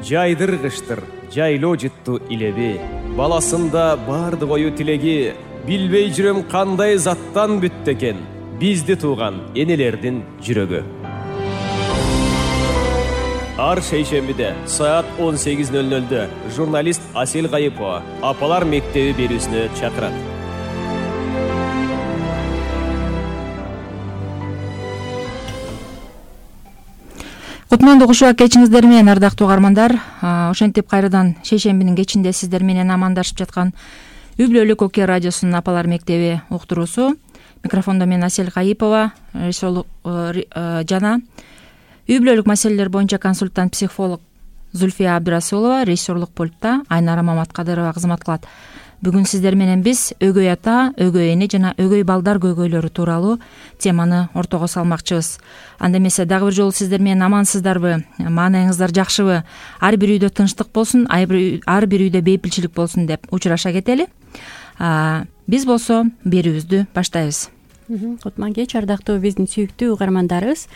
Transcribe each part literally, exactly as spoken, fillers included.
жайдыргыштыр жайлоо жытту илеби, баласында баардык ою тилеги, билбей жүрөм кандай заттан бүттү экен бизди тууган энелердин жүрөгү. Ар шейшембиде саат он сегиз ноль нольдө журналист Асель Кайыпова Апалар мектеби берүүсүнө чакырат. Кутмандуу кушубак кечиңиздер менен, ардактуу угармандар. Ошентип кайрадан шейшембинин кечинде сиздер менен амандашып жаткан Үй бүлөлүк Оке радиосунун Апалар мектеби уктуруусу. Микрофондо мен Асель Кайыпова жана үй бүлөлүк маселелер боюнча консультант психолог Зульфия Абдырасулова, режиссерлук пультта Айнара Маматкадырова кызмат кылат. Бүгүн сиздер менен биз өгөй ата, өгөй эне жана өгөй балдар көйгөйлөрү тууралуу теманы ортого салмакчыбыз. Анда эмесе дагы бир жолу сиздер менен амансыздарбы, маанайыңыздар жакшыбы, ар бир үйдө тынчтык болсун, ар бир үйдө бейпилчилик болсун деп учураша кетели. Биз болсо берүүбүздү баштайбыз. Кутман кеч, ардактуу биздин сүйүктүү угармандарыбыз.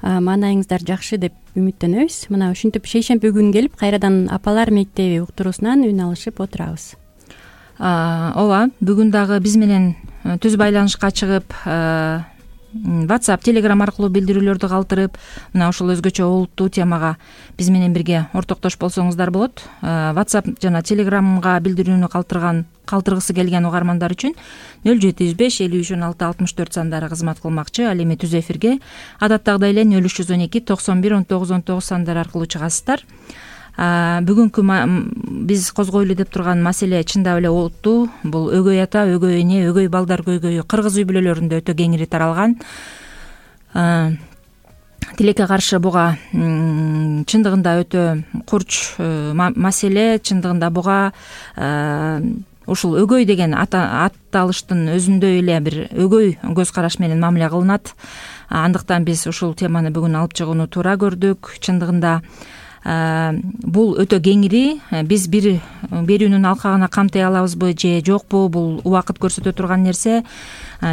Маанайыңыздар жакшы деп үмүттөнөбүз. Мына ушинтип шейшемби күнү келип, кайрадан Апалар мектеби уктуруусунан үн алышып отурабыз. Ооба, бүгүн дагы биз менен түз байланышка чыгып, WhatsApp, Telegram аркылуу билдирүүлөрдү калтырып, мына ушул өзгөчө олуттуу темага биз менен бирге ортоктош болсоңуздар болот. WhatsApp жана Telegramга билдирүүнү калтырган калтыргысы келген угармандар үчүн нөл жети жүз беш элүү үч он алты алтымыш төрт сандары кызмат кылмакчы. Ал эми түз эфирге адаттагыдай эле нөл үч жүз он эки токсон бир он тогуз он тогуз сандары аркылуу чыгасыздар. Бүгүнкү биз козгойлу деп турган маселе чындап эле олуттуу. Бул өгөй ата, өгөй эне, өгөй балдар көйгөйү кыргыз үй бүлөлөрүндө өтө кеңири таралган. Тилекке каршы буга чындыгында өтө курч маселе. Чындыгында буга ушул өгөй деген атталыштын өзүндө эле бир өгөй көз караш менен мамиле кылынат. Андыктан биз ушул теманы бүгүн алып чыгууну туура көрдүк. Чындыгында бул өтө кеңири. Биз бир берүүнүн алкагына камтай алабызбы же жокпу, бул убакыт көрсөтө турган нерсе.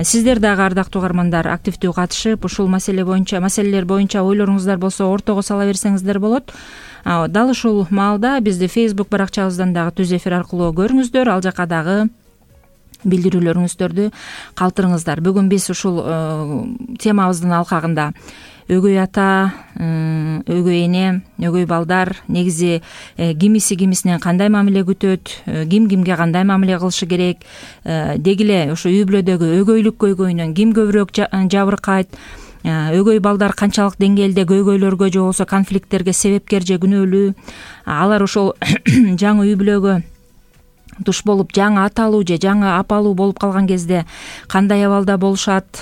Сиздер дагы, ардактуу угармандар, активдүү катышып, ушул маселе боюнча, маселелер боюнча ойлоруңуздар болсо ортого сала берсеңиздер болот. Дал ушул маалда бизди Facebook баракчабыздан дагы түз эфир аркылуу көрүңүздөр, ал жака дагы билдирүүлөрүңүздөрдү калтырыңыздар. Бүгүн биз ушул темабыздын алкагында өгөй ата, өгөй эне, өгөй балдар негизи кимиси кимисинен кандай мамиле күтөт, ким кимге кандай мамиле кылышы керек, деги эле ошо үй бүлөдөгү өгөйлүк көйгөйүнөн ким көбүрөөк жабыркайт, өгөй балдар канчалык деңгээлде көйгөйлөргө же болбосо конфликттерге себепкер же күнөөлүү, алар ошол жаңы үй бүлөгө туш болуп жаңы аталуу же жаңы апалуу болуп калган кезде кандай абалда болушат,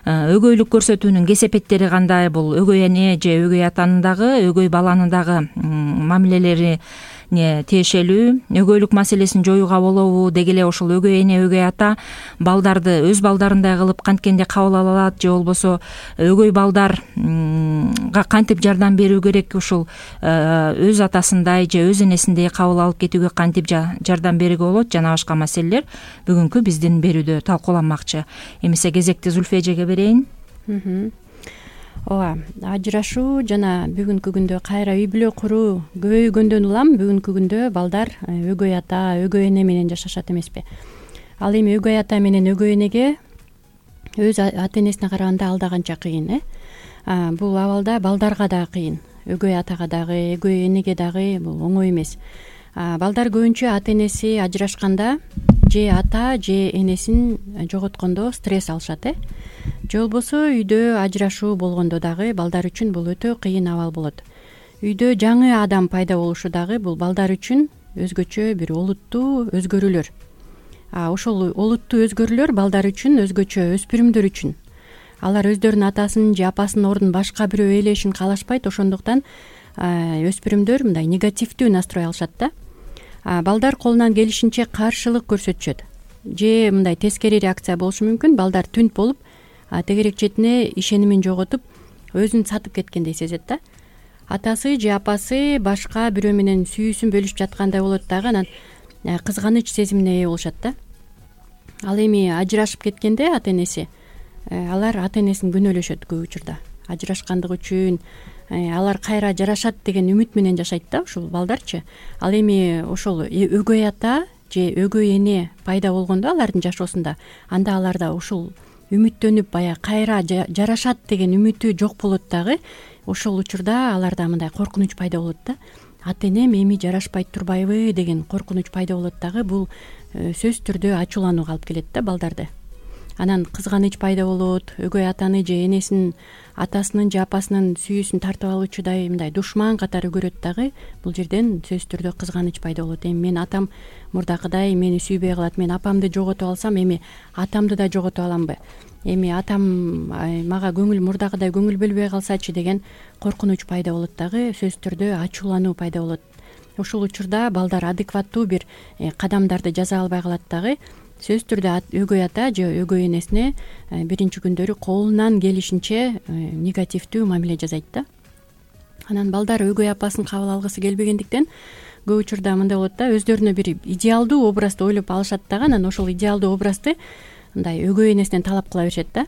өгөйлүк көрсөтүүнүн кесепеттери кандай, бул өгөй эне же өгөй атанын дагы өгөй баланын дагы мамилелерине тиешелүү, өгөйлүк маселесин жоюуга болобу, деги эле ошол өгөй эне, өгөй ата балдарды өз балдарындай кылып канткенде кабыл ала алат же болбосо өгөй балдарга кантип жардам берүү керек, ушул өз атасындай же өз энесиндей кабыл алып кетүүгө кантип жардам берүүгө болот, жана башка маселелер бүгүнкү биздин берүүдө талкууланмакчы. Эмесе кезекти Зульфия эжеге берейин. Ооба, ажырашуу жана бүгүнкү күндө кайра үй бүлө куруу көбөйгөндөн улам бүгүнкү күндө балдар өгөй ата, өгөй эне менен жашашат эмеспи? Ал эми өгөй ата менен өгөй энеге өз ата энесине караганда алда канча кыйын, э? Бул абалда балдарга да кыйын, өгөй атага дагы, өгөй энеге дагы бул оңой эмес. Балдар көбүнчө ата энеси ажырашканда же ата же энесин жоготкондо стресс алышат, э? Же болбосо үйдө ажырашуу болгондо дагы балдар үчүн бул өтө кыйын абал болот. Үйдө жаңы адам пайда болушу дагы бул балдар үчүн өзгөчө бир олуттуу өзгөрүүлөр. Ошол олуттуу өзгөрүүлөр балдар үчүн, өзгөчө өспүрүмдөр үчүн. Алар өздөрүнүн атасынын же апасынын ордун башка бирөө ээлешин каалашпайт, ошондуктан өспүрүмдөр мындай негативдүү настрой алышат да. Балдар колунан келишинче каршылык көрсөтүшөт. Же мындай тескери реакция болушу мүмкүн. Балдар түнт болуп, тегерек четине ишенимин жоготуп, өзүн сатып кеткендей сезет да. Атасы же апасы башка бирөө менен сүйүүсүн бөлүшүп жаткандай болот дагы, анан кызганыч сезимине ээ болушат да. Ал эми ажырашып кеткенде ата энеси, алар ата энесин күнөөлөшөт көп учурда. Ажырашкандыгы үчүн, алар кайра жарашат деген үмүт менен жашайт да ушул балдарчы. Ал эми ошол өгөй ата же өгөй эне пайда болгондо алардын жашоосунда, анда аларда ушул үмүттөнүп баягы кайра жарашат деген үмүтү жок болот дагы. Ошол учурда аларда мындай коркунуч пайда болот да. Ата энем эми жарашпай турбайбы деген коркунуч пайда болот дагы. Бул сөзсүз түрдө ачууланууга алып келет да балдарды. Анан кызганыч пайда болот. Өгөй атаны же энесин, атасынын же апасынын сүйүүсүн тартып алуучудай мындай душман катары көрөт дагы. Бул жерден сөзсүз түрдө кызганыч пайда болот. Эми мен атам мурдакыдай мени сүйбөй калат, мен апамды жоготуп алсам эми атамды да жоготуп аламбы? Эми атам мага көңүл мурдакыдай көңүл бөлбөй калсачы деген коркунуч пайда болот дагы. Сөзсүз түрдө ачуулануу пайда болот. Ушул учурда балдар адекваттуу бир кадамдарды жаза албай калат дагы. Сөзсүз түрдө өгөй ата же өгөй энесине биринчи күндөрү колунан келишинче негативдүү мамиле жасайт да. Анан балдар өгөй апасын кабыл алгысы келбегендиктен көп учурда мындай болот да, өздөрүнө бир идеалдуу образды ойлоп алышат дагы. Анан ошол идеалдуу образды мындай өгөй энесинен талап кыла беришет да.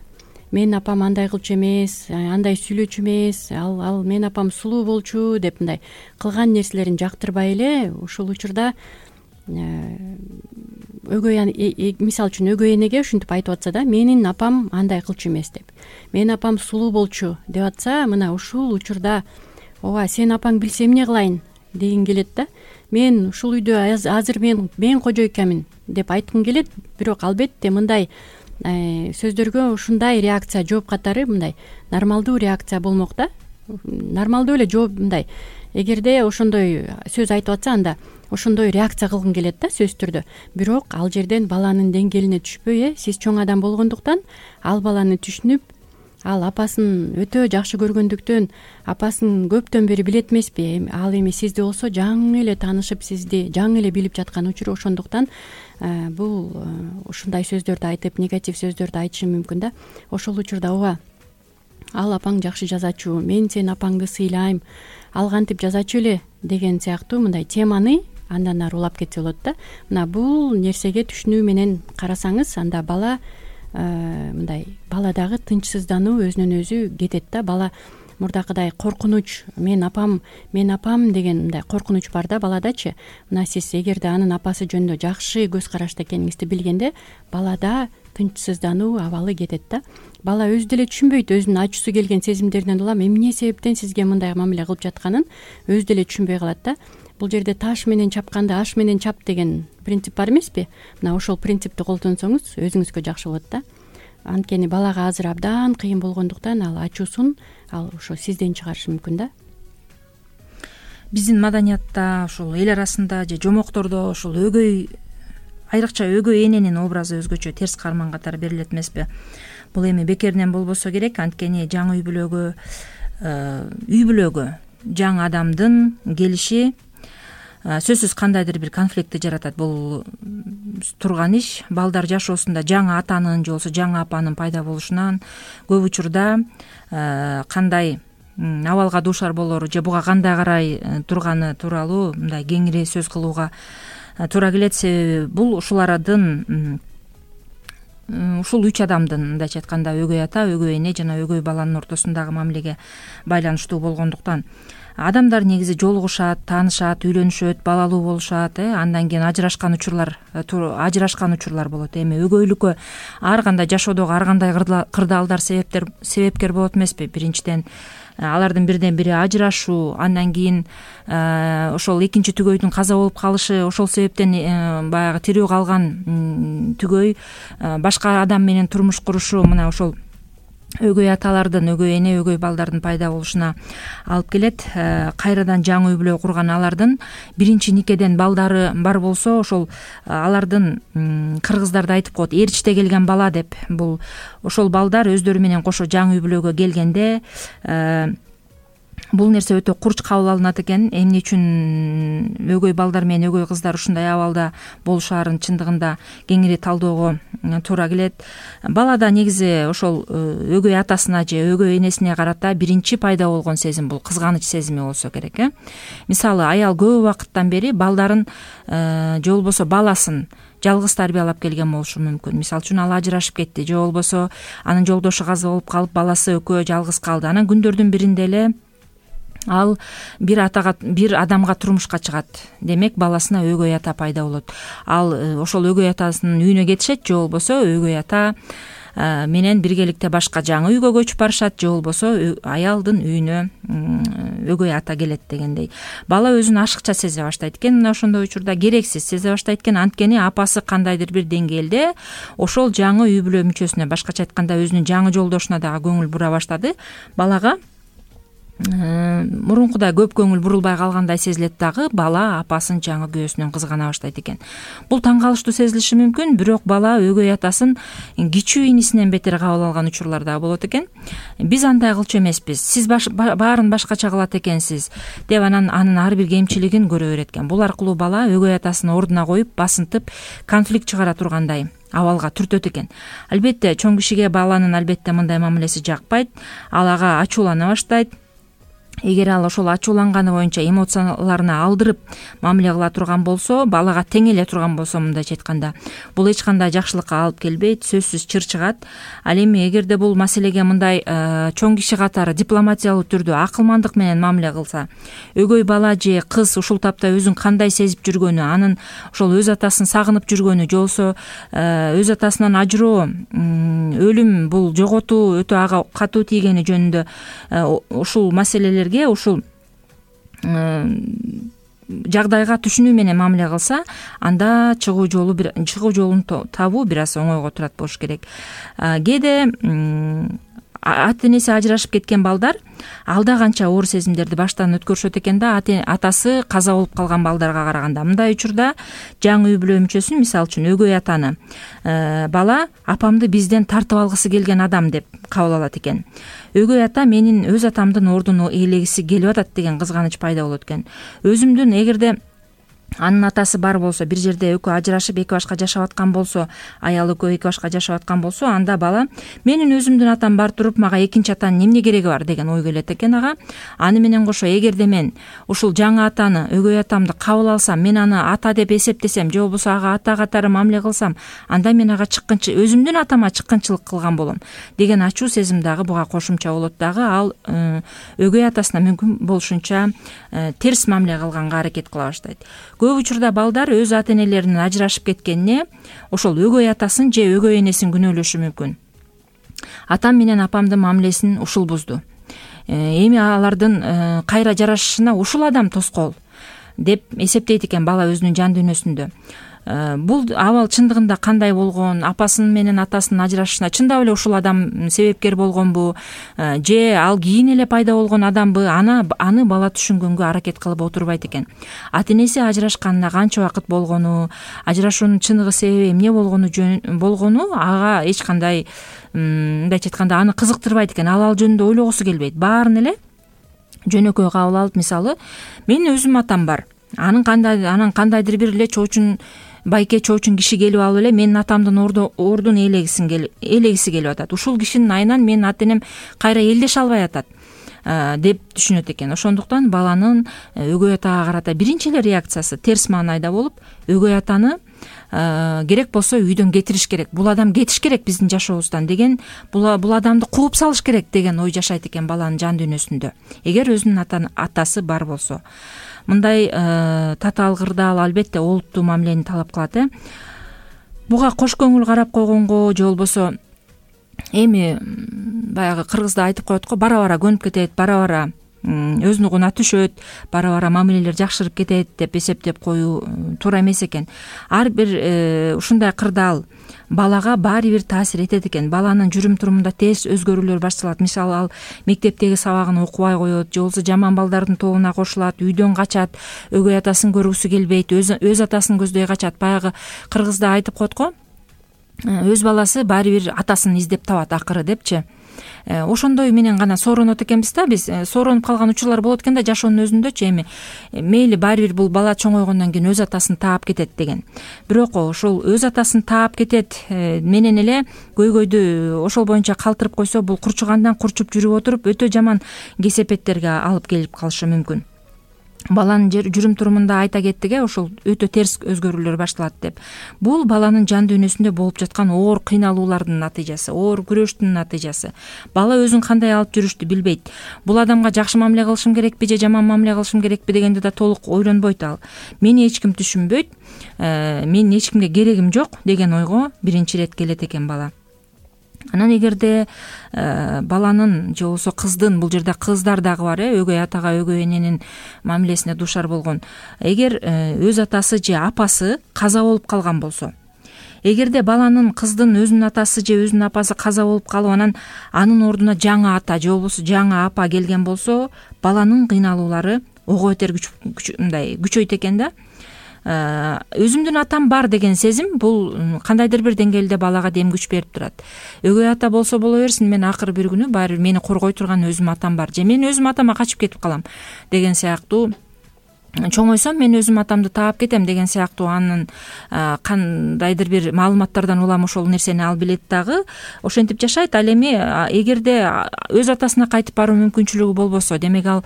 Менин апам андай кылчу эмес, андай сүйлөчү эмес, ал ал менин апам сулуу болчу деп мындай кылган нерселерин жактырбай эле ушул учурда өгөй мисалы үчүн өгөй энеге ушинтип айтып атса да, менин апам андай кылчу эмес деп, менин апам сулуу болчу деп атса, мына ушул учурда ооба сенин апаң билсе эмне кылайын дегин келет да. Мен ушул үйдө азыр мен мен кожойкамын деп айткым келет, бирок албетте мындай сөздөргө ушундай реакция жооп катары мындай нормалдуу реакция болмок да. Нормалдуу эле жооп мындай эгерде ошондой сөз айтып атса, анда ошондой реакция кылгың келет да сөзсүз түрдө. Бирок ал жерден баланын деңгээлине түшпөй, э сиз чоң адам болгондуктан ал баланы түшүнүп, ал апасын өтө жакшы көргөндүктөн, апасын көптөн бери билет эмеспи, ал эми сизди болсо жаңы эле таанышып, сизди жаңы эле билип жаткан учуру, ошондуктан бул ушундай сөздөрдү айтып, негатив сөздөрдү айтышы мүмкүн да. Ошол учурда ооба ал апаң жакшы жазачу, мен сенин апаңды сыйлайм, ал кантип жазачу эле деген сыяктуу мындай теманы андан ары улап кетсе болот да. Мына бул нерсеге түшүнүү менен карасаңыз, анда бала мындай баладагы тынчсыздануу өзүнөн өзү кетет да. Бала мурдакыдай коркунуч, мен апам, мен апам деген мындай коркунуч бар да баладачы. Мына сиз эгерде анын апасы жөнүндө жакшы көз карашта экениңизди билгенде, балада тынчсыздануу абалы кетет да. Бала өзү деле түшүнбөйт, өзүнүн ачуусу келген сезимдеринен улам эмне себептен сизге мындай мамиле кылып жатканын өзү деле түшүнбөй калат да. Бул жерде таш менен чапканды аш менен чап деген принцип бар эмеспи? Мына ошол принципти колдонсоңуз өзүңүзгө жакшы болот да. Анткени балага азыр абдан кыйын болгондуктан ал ачуусун ал ошо сизден чыгарышы мүмкүн да. Биздин маданиятта, ушул эл арасында же жомоктордо ушул өгөй, айрыкча өгөй эненин образы өзгөчө терс карман катары берилет эмеспи? Бул эми бекеринен болбосо керек, анткени жаңы үй бүлөгө үй бүлөгө жаңы адамдын келиши сөзсүз кандайдыр бир конфликтти жаратат. Бул турган иш балдар жашоосунда жаңы атанын же болбосо жаңы апанын пайда болушунан көп учурда кандай абалга дуушар болору же буга кандай карай турганы тууралуу мындай кеңири сөз кылууга туура келет. Себеби бул ушул арадын ушул үч адамдын, мындайча айтканда, өгөй ата, өгөй эне жана өгөй баланын ортосундагы мамилеге байланыштуу болгондуктан адамдар негизи жолугушат, таанышат, үйлөнүшөт, балалуу болушат, э андан кийин ажырашкан учурлар ажырашкан учурлар болот. Эми өгөйлүккө ар кандай жашоодогу ар кандай кырдаалдар себептер себепкер болот эмеспи? Биринчиден алардын бирден бири ажырашуу, андан кийин ошол экинчи түгөйдүн каза болуп калышы, ошол себептен баягы тирүү калган түгөй башка адам менен турмуш курушу, мына ошол өгөй аталардын, өгөй эне, өгөй балдардын пайда болушуна алып келет. Кайрадан жаңы үй бүлө курган алардын биринчи никеден балдары бар болсо, ошол алардын кыргыздарда айтып коет, ээрчите келген бала деп. Бул ошол балдар өздөрү менен кошо жаңы үй бүлөгө келгенде бул нерсе өтө курч кабыл алынат экен. Эмне үчүн өгөй балдар менен өгөй кыздар ушундай абалда болушаарын чындыгында кеңири талдөөгө туура келет. Балада негизи ошол өгөй атасына же өгөй энесине карата биринчи пайда болгон сезим бул кызганыч сезими болсо керек, э. Мисалы, аял көп убакыттан бери балдарын же болбосо баласын жалгыз тарбиялап келген болушу мүмкүн. Мисалы үчүн ал ажырашып кетти, же болбосо анын жолдошу каза болуп калып, баласы экөө жалгыз калды. Анан күндөрдүн биринде эле ал бир атага бир адамга турмушка чыгат, демек баласына өгөй ата пайда болот. Ал ошол өгөй атасынын үйүнө кетишет, же болбосо өгөй ата менен биргеликте башка жаңы үйгө көчүп барышат, же болбосо аялдын үйүнө өгөй ата келет дегендей. Бала өзүн ашыкча сезе баштайт экен, мына ошондой учурда керексиз сезе баштайт экен. Анткени апасы кандайдыр бир деңгээлде ошол жаңы үй бүлө мүчөсүнө, башкача айтканда өзүнүн жаңы жолдошуна дагы көңүл бура баштады. Балага мурункудай көп көңүл бурулбай калгандай сезилет дагы, бала апасын жаңы күйөөсүнөн кызгана баштайт экен. Бул таң калыштуу сезилиши мүмкүн, бирок бала өгөй атасын кичүү инисинен бетер кабыл алган учурлар дагы болот экен. Биз андай кылчу эмеспиз, сиз баш, баарын башкача кылат экенсиз деп анан анын ар бир кемчилигин көрө берет экен. Бул аркылуу бала өгөй атасын ордуна коюп, басынтып, конфликт чыгара тургандай абалга түртөт экен. Албетте чоң кишиге баланын албетте мындай мамилеси жакпайт. Ал ага ачуулана баштайт. Эгер ал ошол ачууланганы боюнча эмоцияларына алдырып мамиле кыла турган болсо, балага тең эле турган болсо, мындайча айтканда, бул эч кандай жакшылыкка алып келбейт, сөзсүз чыр чыгат. Ал эми эгерде бул маселеге мындай чоң киши катары дипломатиялуу түрдө акылмандык менен мамиле кылса, өгөй бала же кыз ушул тапта өзүн кандай сезип жүргөнү, анын ошол өз атасын сагынып жүргөнү, же болбосо өз атасынан ажыроо, өлүм, бул жоготуу өтө ага катуу тийгени жөнүндө ушул маселелер ушул жагдайга түшүнүү менен мамиле кылса, анда чыгуу жолу чыгуу жолун табуу бир аз оңойго турат болуш керек. Кээде ата энеси ажырашып кеткен балдар алда канча оор сезимдерди баштан өткөрүшөт экен да, атасы каза болуп калган балдарга караганда. Мындай учурда жаңы үй бүлө мүчөсүн, мисалы үчүн өгөй атаны бала апамды бизден тартып алгысы келген адам деп кабыл алат экен. Өгөй ата менин өз атамдын ордун ээлегиси келип атат деген кызганыч пайда болот экен. Өзүмдүн эгерде анын атасы бар болсо, бир жерде экөө ажырашып эки башка жашап аткан болсо, аял экөө эки башка жашап аткан болсо, анда бала менин өзүмдүн атам бар туруп мага экинчи атанын эмне кереги бар деген ой келет экен ага. Аны менен кошо эгерде мен ушул жаңы атаны, өгөй атамды кабыл алсам, мен аны ата деп эсептесем, же болбосо ага ата катары мамиле кылсам, анда мен ага чыккынчы өзүмдүн атама чыккынчылык кылган болом деген ачуу сезим дагы буга кошумча болот дагы. Ал өгөй атасына мүмкүн болушунча терс мамиле кылганга аракет кыла баштайт. Көп учурда балдар өз ата энелеринин ажырашып кеткенине ошол өгөй атасын же өгөй энесин күнөөлөшү мүмкүн. Атам менен апамдын мамилесин ушул бузду. Эми алардын кайра жарашышына ушул адам тоскоол деп эсептейт экен бала өзүнүн жан дүйнөсүндө. Бул абал чындыгында кандай болгон, апасын менен атасынын ажырашышына чындап эле ушул адам себепкер болгонбу, же ал кийин эле пайда болгон адамбы, аны аны бала түшүнгөнгө аракет кылып отурбайт экен. Ата энеси ажырашканына канча убакыт болгону, ажырашуунун чыныгы себеби эмне болгону болгону ага эч кандай, мындайча айтканда, аны кызыктырбайт экен. Ал ал жөнүндө ойлогусу келбейт. Баарын эле жөнөкөй кабыл алып, мисалы, менин өзүм атам бар. Анын кандай анан кандайдыр бир эле чоочун байке чоочун киши келип алып эле менин атамдын ордун ээлегисин ээлегиси келип атат. Ушул кишинин айынан менин ата энем кайра элдеше албай атат деп түшүнөт экен. Ошондуктан баланын өгөй атага карата биринчи эле реакциясы терс маанайда болуп, өгөй атаны керек болсо үйдөн кетириш керек, бул адам кетиш керек биздин жашообуздан деген, бул бул адамды кууп салыш керек деген ой жашайт экен баланын жан дүйнөсүндө, эгер өзүнүн атасы бар болсо. Мындай татаал кырдаал албетте олуттуу мамилени талап кылат. э Буга кош көңүл карап койгонго, же болбосо эми баягы кыргызда айтып коет го, бара-бара көнүп кетет, бара-бара өзүнүгуна түшөт, бара-бара мамилелер жакшырып кетет деп эсептеп коюу туура эмес экен. Ар бир ушундай кырдаал балага баары бир таасир этет экен. Баланын жүрүм турумунда тез өзгөрүүлөр башталат. Мисалы, ал мектептеги сабагын окубай коет, же болбосо жаман балдардын тобуна кошулат, үйдөн качат, өгөй атасын көргүсү келбейт, өз өз атасын көздөй качат. Баягы кыргызда айтып коет го, өз баласы баары бир атасын издеп табат акыры депчи. Ошондой менен гана сооронот экенбиз да, биз сооронуп калган учурлар болот экен да жашоонун өзүндөчү. Эми мейли баары бир бул бала чоңойгондон кийин өз атасын таап кетет деген. Бирок ошол өз атасын таап кетет менен эле көйгөйдү ошол боюнча калтырып койсо, бул курчугандан курчуп жүрүп отуруп өтө жаман кесепеттерге алып келип калышы мүмкүн. баланын жүрүм турумунда айта кеттик э ошол өтө терс өзгөрүүлөр башталат деп. Бул баланын жан дүйнөсүндө болуп жаткан оор кыйналуулардын натыйжасы, оор күрөштүн натыйжасы. Бала өзүн кандай алып жүрүштү билбейт. Бул адамга жакшы мамиле кылышым керекпи же жаман мамиле кылышым керекпи дегенди да толук ойлонбойт ал. Мени эч ким түшүнбөйт, менин эч кимге керегим жок деген ойго биринчи ирет келет экен бала. Анан эгерде баланын же болбосо кыздын, бул жерде кыздар дагы бар э, өгөй атага, өгөй эненин мамилесине дуушар болгон. Эгер өз атасы же апасы каза болуп калган болсо, эгерде баланын, кыздын өзүнүн атасы же өзүнүн апасы каза болуп калып, анан анын ордуна жаңы ата же болбосо жаңы апа келген болсо, баланын кыйналуулары ого бетер мындай күчөйт экен да. Өзүмдүн атам бар деген сезим бул кандайдыр бир деңгээлде балага дем күч берип турат. Өгөй ата болсо боло берсин, мен акыры бир күнү баары бир мени коргой турган өзүм атам бар, же мен өзүм атама качып кетип калам деген сыяктуу, чоңойсом мен өзүм атамды таап кетем деген сыяктуу анын кандайдыр бир маалыматтардан улам ошол нерсени ал билет дагы ошентип жашайт. Ал эми эгерде өз атасына кайтып баруу мүмкүнчүлүгү болбосо, демек ал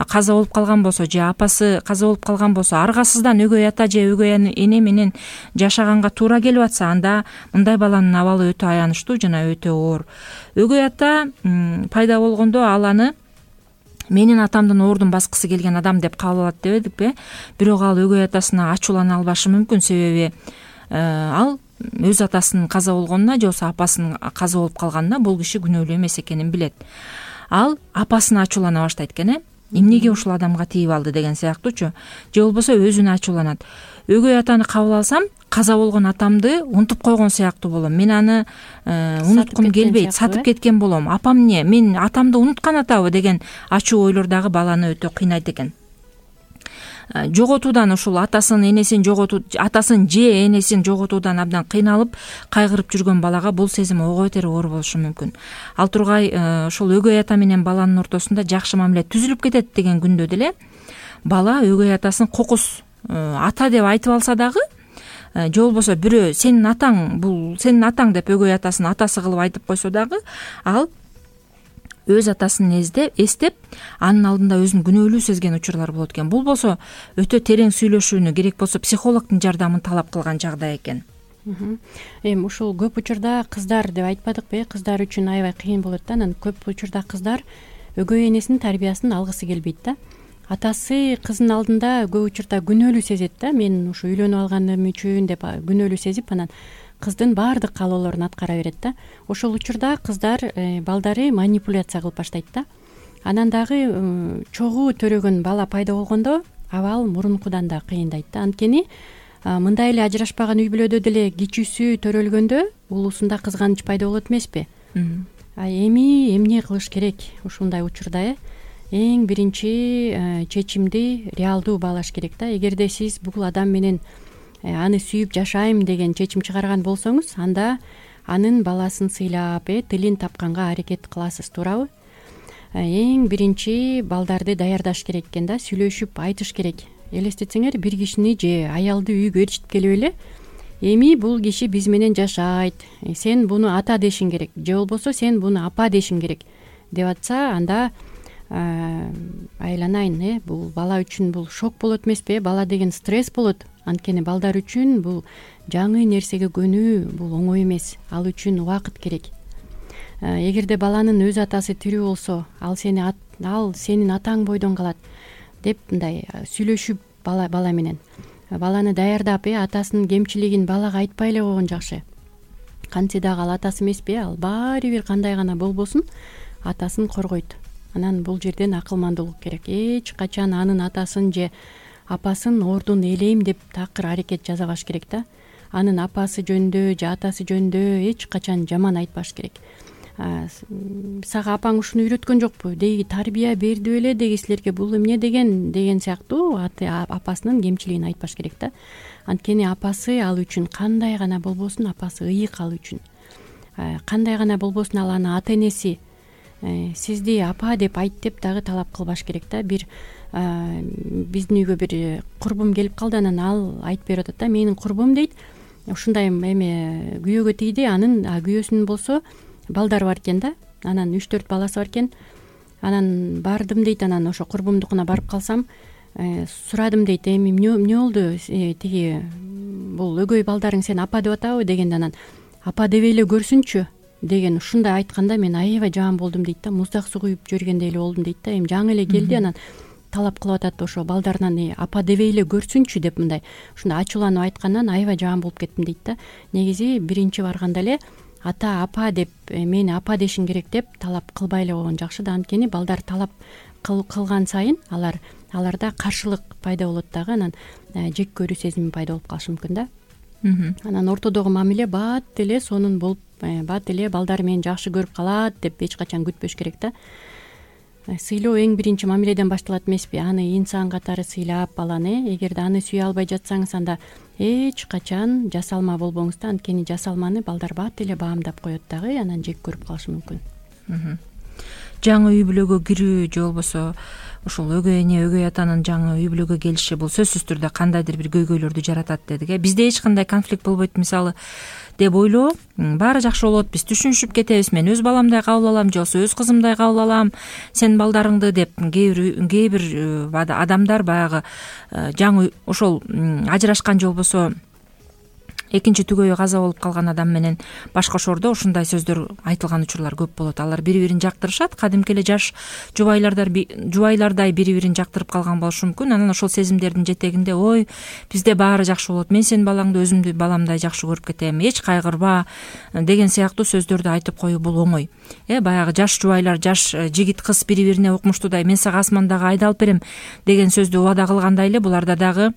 каза болуп калган болсо же апасы каза болуп калган болсо, аргасыздан өгөй ата же өгөй эне менен жашаганга туура келип атса, анда мындай баланын абалы өтө аянычтуу жана өтө оор. Өгөй ата пайда болгондо ал аны менин атамдын ордун баскысы келген адам деп кабыл алат дебедикпи? Бирок ал өгөй атасына ачуулана албашы мүмкүн, себеби ал өз атасынын каза болгонуна же болбосо апасынын каза болуп калганына бул киши күнөөлүү эмес экенин билет. Ал апасына ачуулана баштайт экен, э? Эмнеге ушул адамга тийип алды деген сыяктуучу, же болбосо өзүнө ачууланат. Өгөй атаны кабыл алсам, каза болгон атамды унутуп койгон сыяктуу болом. Мен аны унуткум келбейт, сатып кеткен болом. Апам эмне? Мен атамды унуткан атабы деген ачуу ойлор дагы баланы өтө кыйнайт экен. Жоготуудан, ушул атасын, энесин жоготуу, атасын же энесин жоготуудан абдан кыйналып, кайгырып жүргөн балага бул сезим ого бетер оор болушу мүмкүн. Ал тургай ошол өгөй ата менен баланын ортосунда жакшы мамиле түзүлүп кетет деген күндө деле бала өгөй атасын кокус ата деп айтып алса дагы, же болбосо бирөө сенин атаң, бул сенин атаң деп өгөй атасын атасы кылып айтып койсо дагы, ал өз атасын эстеп, анын алдында өзүн күнөөлүү сезген учурлар болот экен. Бул болсо өтө терең сүйлөшүүнү, керек болсо психологдун жардамын талап кылган жагдай экен. Эми ушул көп учурда кыздар деп айтпадыкпы? Кыздар үчүн аябай кыйын болот да. Анан көп учурда кыздар өгөй энесинин тарбиясын алгысы келбейт да. Атасы кызынын алдында көп учурда күнөөлүү сезет да. Мен ушу үйлөнүп алганым үчүн деп күнөөлүү сезип, анан кыздын баардык каалоолорун аткара берет да. Ошол учурда кыздар балдары манипуляция кылып баштайт да. Анан дагы чогуу төрөгөн бала пайда болгондо абал мурункудан да кыйындайт да. Анткени мындай эле ажырашпаган үй бүлөдө деле кичүүсү төрөлгөндө улуусунда кызганыч пайда болот эмеспи? А эми эмне кылыш керек ушундай учурда? э Эң биринчи чечимди реалдуу баалаш керек да. Эгерде сиз бул адам менен аны сүйүп жашайм деген чечим чыгарган болсоңуз, анда анын баласын сыйлап, э тилин тапканга аракет кыласыз, туурабы? Эң биринчи балдарды даярдаш керек экен да, сүйлөшүп айтыш керек. Элестетсеңер, бир кишини же аялды үйгө ээрчитип келип эле, эми бул киши биз менен жашайт, сен буну ата дешиң керек, же болбосо сен буну апа дешиң керек деп атса, анда айланайын, э бул бала үчүн бул шок болот эмеспи? Бала деген стресс болот. Анткени балдар үчүн бул жаңы нерсеге көнүү бул оңой эмес. Ал үчүн убакыт керек. Эгерде баланын өз атасы тирүү болсо, ал сени ал сенин атаң бойдон калат деп мындай сүйлөшүп бала бала менен баланы даярдап, э атасынын кемчилигин балага айтпай эле койгон жакшы. Кантсе дагы ал атасы эмеспи? Ал баары бир кандай гана болбосун атасын коргойт. Анан бул жерден акылмандуулук керек. Эч качан анын атасын же апасын ордун ээлейм деп такыр аракет жасабаш керек да. Анын апасы жөнүндө же атасы жөнүндө эч качан жаман айтпаш керек. Сага апаң ушуну үйрөткөн жокпу? Деги тарбия берди беле деги силерге, бул эмне деген деген сыяктуу апасынын кемчилигин айтпаш керек да. Анткени апасы ал үчүн кандай гана болбосун, апасы ыйык ал үчүн. Кандай гана болбосун ал анын ата энеси. Сизди апа деп айт деп дагы талап кылбаш керек да. Бир биздин үйгө бир курбум келип калды, анан ал айтып берип атат да, менин курбум дейт, ушундай эме күйөөгө тийди, анын күйөөсүнүн болсо балдары бар экен да. Анан үч төрт баласы бар экен. Анан бардым дейт, анан ошо курбумдукуна барып калсам, сурадым дейт, эми эмне болду тиги бул өгөй балдарың сени апа деп атабы дегенде, анан апа дебей эле көрсүнчү деген ушундай айтканда мен аябай жаман болдум дейт да, муздак суу куюп жибергендей эле болдум дейт да. Эми жаңы эле келди, анан талап кылып атат ошо балдарынан апа дебей эле көрсүнчү деп, мындай ушундай ачууланып айткандан аябай жаман болуп кеттим дейт да. Негизи биринчи барганда эле ата апа деп мени апа дешиң керек деп талап кылбай эле койгон жакшы да. Анткени балдар талап кылган сайын алар аларда каршылык пайда болот дагы, анан жек көрүү сезими пайда болуп калышы мүмкүн да. Анан ортодогу мамиле бат эле сонун болуп, бат эле балдар мени жакшы көрүп калат деп эч качан күтпөш керек да. Сыйлоо эң биринчи мамиледен башталат эмеспи? Аны инсан катары сыйлап баланы, эгерде аны сүйө албай жатсаңыз, анда эч качан жасалма болбоңуз да. Анткени жасалманы балдар бат эле баамдап коет дагы, анан жек көрүп калышы мүмкүн. Жаңы үй бүлөгө кирүү же болбосо ушул өгөй эне өгөй атанын жаңы үй бүлөгө келиши бул сөзсүз түрдө кандайдыр бир көйгөйлөрдү жаратат дедик. Бизде эч кандай конфликт болбойт мисалы деп ойлоо, баары жакшы болот, биз түшүнүшүп кетебиз, мен өз баламдай кабыл алам же болбосо өз кызымдай кабыл алам сенин балдарыңды деп кээ бир кээ бир адамдар баягы жаңы ошол ажырашкан же болбосо экинчи түгөйү каза болуп калган адам менен башкошордо ушундай сөздөр айтылган учурлар көп болот. Алар бири бирин жактырышат, кадимки эле жаш жубайлардар жубайлардай бири бирин жактырып калган болушу мүмкүн. Анан ошол сезимдердин жетегинде ой бизде баары жакшы болот, мен сенин балаңды өзүмдү баламдай жакшы көрүп кетем, эч кайгырба деген сыяктуу сөздөрдү айтып коюу бул оңой. Э баягы жаш жубайлар, жаш жигит кыз бири бирине укмуштуудай мен сага асмандагы айды алып берем деген сөздү убада кылгандай эле буларда дагы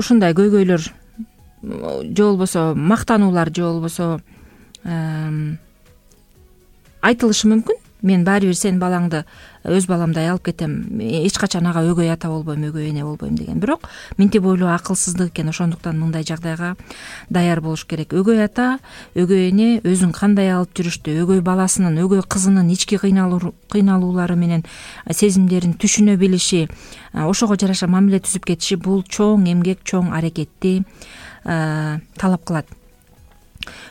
ушундай көйгөйлөр же болбосо мактануулар же болбосо айтылышы мүмкүн. Мен баары бир сенин балаңды өз баламдай алып кетем, эч качан ага өгөй ата болбойм, өгөй эне болбойм деген. Бирок минтип ойлоо акылсыздык экен. Ошондуктан мындай жагдайга даяр болуш керек. Өгөй ата, өгөй эне өзүн кандай алып жүрүштү, өгөй баласынын, өгөй кызынын ички кыйналуулары менен сезимдерин түшүнө билиши, ошого жараша мамиле түзүп кетиши бул чоң эмгек, чоң аракетти талап кылат.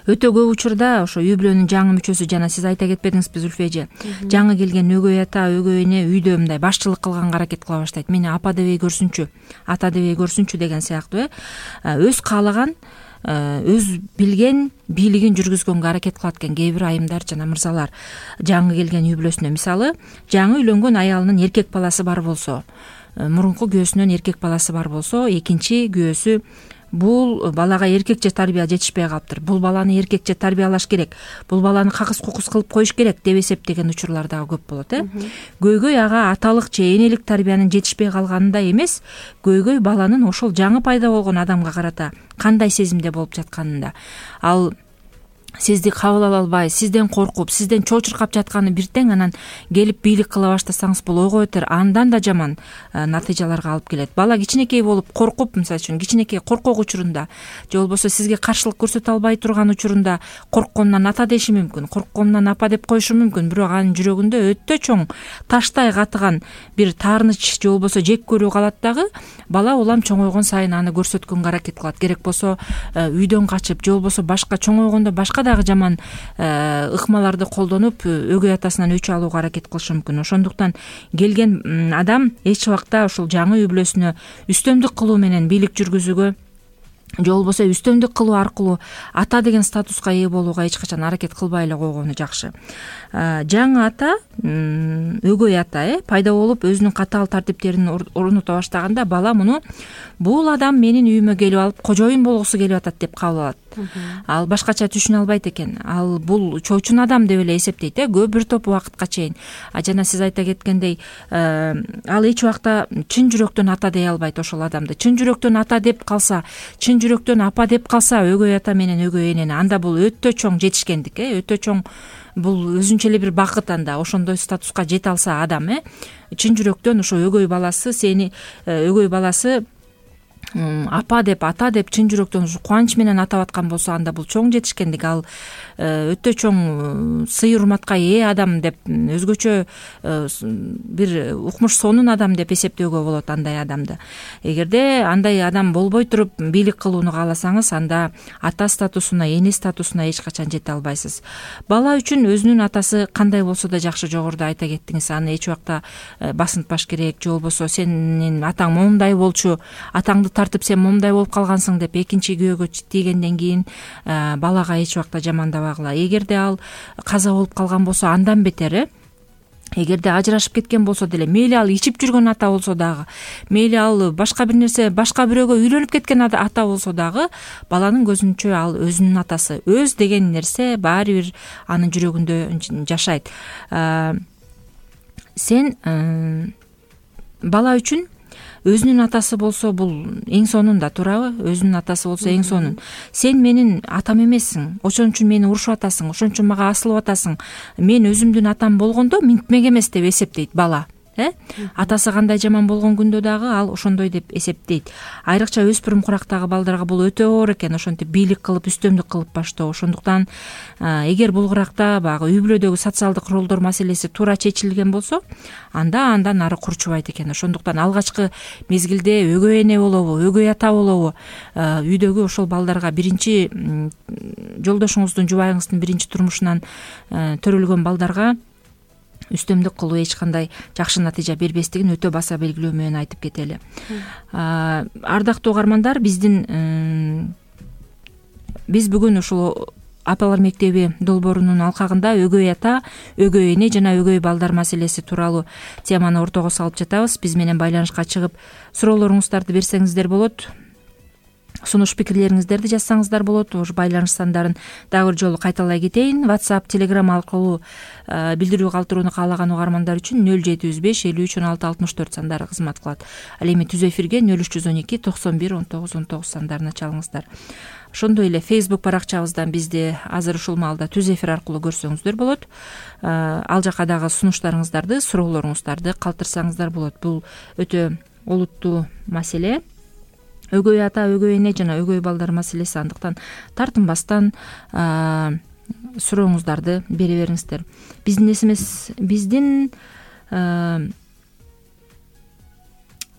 Өтө көп учурда ошо үй бүлөнүн жаңы мүчөсү, жана сиз айта кетпедиңизби Зүлфү эже, жаңы келген өгөй ата, өгөй эне үйдө мындай башчылык кылганга аракет кыла баштайт. Мени апа дебей көрсүнчү, ата дебей көрсүнчү деген сыяктуу э өз каалаган, өз билген бийлигин жүргүзгөнгө аракет кылат экен кээ бир айымдар жана мырзалар жаңы келген үй бүлөсүнө. Мисалы, жаңы үйлөнгөн аялынын эркек баласы бар болсо, мурунку күйөөсүнөн эркек баласы бар болсо, экинчи күйөөсү бул балага эркекче тарбия жетишпей калыптыр, бул баланы эркекче тарбиялаш керек, бул баланы какыс кукус кылып коюш керек деп эсептеген учурлар дагы көп болот. э Көйгөй ага аталык же энелик тарбиянын жетишпей калганында эмес, көйгөй баланын ошол жаңы пайда болгон адамга карата кандай сезимде болуп жатканында. Ал сизди кабыл ала албай, сизден коркуп, сизден чочуркап жатканы бир тең, анан келип бийлик кыла баштасаңыз бул ойго өтөр андан да жаман натыйжаларга алып келет. Бала кичинекей болуп коркуп, мисалы үчүн кичинекей коркок учурунда же болбосо сизге каршылык көрсөтө албай турган учурунда коркконунан ата деши мүмкүн, коркконунан апа деп коюшу мүмкүн, бирок анын жүрөгүндө өтө чоң таштай катыган бир таарыныч же болбосо жек көрүү калат дагы. Бала улам чоңойгон сайын аны көрсөткөнгө аракет кылат. Керек болсо үйдөн качып же болбосо башка чоңойгондо башка дагы жаман ыкмаларды колдонуп өгөй атасынан өчү алууга аракет кылышы мүмкүн. Ошондуктан келген адам эч убакта ушул жаңы үй бүлөсүнө үстөмдүк кылуу менен бийлик жүргүзүүгө же болбосо үстөмдүк кылуу аркылуу ата деген статуска ээ болууга эч качан аракет кылбай эле койгону жакшы. Жаңы ата, өгөй ата э пайда болуп өзүнүн катаал тартиптерин орното баштаганда бала муну бул адам менин үйүмө келип алып кожоюн болгусу келип атат деп кабыл алат. Ал башкача түшүнө албайт экен. Ал бул чочун адам деп эле эсептейт э көп бир топ убакытка чейин. А жана сиз айта кеткендей, ал эч убакта чын жүрөктөн ата дей албайт ошол адамды. Чын жүрөктөн ата деп калса, чын жүрөктөн апа деп калса өгөй ата менен өгөй энени, анда бул өтө чоң жетишкендик э өтө чоң, бул өзүнчө эле бир бакыт. Анда ошондой статуска жете алса адам э чын жүрөктөн ошо өгөй баласы сени өгөй баласы апа деп, ата деп чын жүрөктөн кубанч менен атап аткан болсо, анда бул чоң жетишкендик, ал өтө чоң сый урматка ээ адам деп, өзгөчө бир укмуш сонун адам деп эсептөөгө болот андай адамды. Эгерде андай адам болбой туруп бийлик кылууну кааласаңыз, анда ата статусуна, эне статусуна эч качан жете албайсыз. Бала үчүн өзүнүн атасы кандай болсо да жакшы, жогоруда айта кеттиңиз, аны эч убакта басынтпаш керек, же болбосо сенин атаң момундай болчу, атаңды тартып сен момундай болуп калгансың деп экинчи күйөөгө тийгенден кийин балага эч убакта жамандабагыла. Эгерде ал каза болуп калган болсо, андан бетери. Эгерде ажырашып кеткен болсо деле, мейли ал ичип жүргөн ата болсо дагы, мейли ал башка бир нерсе, башка бирөөгө үйлөнүп кеткен ата болсо дагы, баланын көзүнчө ал өзүнүн атасы. Өз деген нерсе баары бир анын жүрөгүндө жашайт. Сен бала үчүн өзүнүн атасы болсо бул эң сонун да, туурабы? Өзүнүн атасы болсо эң сонун. Сен менин атам эмессиң, ошон үчүн мени урушуп атасың, ошон үчүн мага асылып атасың. Мен өзүмдүн атам болгондо минтмек эмес деп эсептейт бала. Э? Атасы кандай жаман болгон күндө дагы ал ошондой деп эсептейт. Айрыкча өспүрүм курактагы балдарга бул өтө оор экен, ошентип бийлик кылып, үстөмдүк кылып баштоо. Ошондуктан эгер бул куракта баягы үй бүлөдөгү социалдык ролдор маселеси туура чечилген болсо, анда андан ары курчубайт экен. Ошондуктан алгачкы мезгилде өгөй эне болобу, өгөй ата болобу, үйдөгү ошол балдарга биринчи жолдошуңуздун, жубайыңыздын биринчи турмушунан төрөлгөн балдарга үстөмдүк кылуу эч кандай жакшы натыйжа бербестигин өтө баса белгилөө менен айтып кетели. Ардактуу угармандар, биздин биз бүгүн ушул Апалар мектеби долбоорунун алкагында өгөй ата, өгөй эне жана өгөй балдар маселеси тууралуу теманы ортого салып жатабыз. Биз менен байланышка чыгып суроолоруңуздарды берсеңиздер болот. Сунуш пикирлериңиздерди жазсаңыздар болот. Ош байланыш сандарын дагы бир жолу кайталай кетейин. WhatsApp, Telegram аркылуу билдирүү калтырууну каалаган угармандар үчүн нөл жети жүз беш элүү үч он алты алтымыш төрт сандары кызмат кылат. Ал эми түз эфирге нөл үч жүз он эки токсон бир он тогуз он тогуз сандарына чалыңыздар. Ошондой эле Facebook баракчабыздан бизди азыр ушул маалда түз эфир аркылуу көрсөңүздөр болот. Ал жака дагы сунуштарыңыздарды, суроолоруңуздарды калтырсаңыздар болот. Бул өтө олуттуу маселе. Өгөй ата, өгөй эне жана өгөй балдар маселеси, андыктан тартынбастан сурооңуздарды бере бериңиздер. Биздин смс, биздин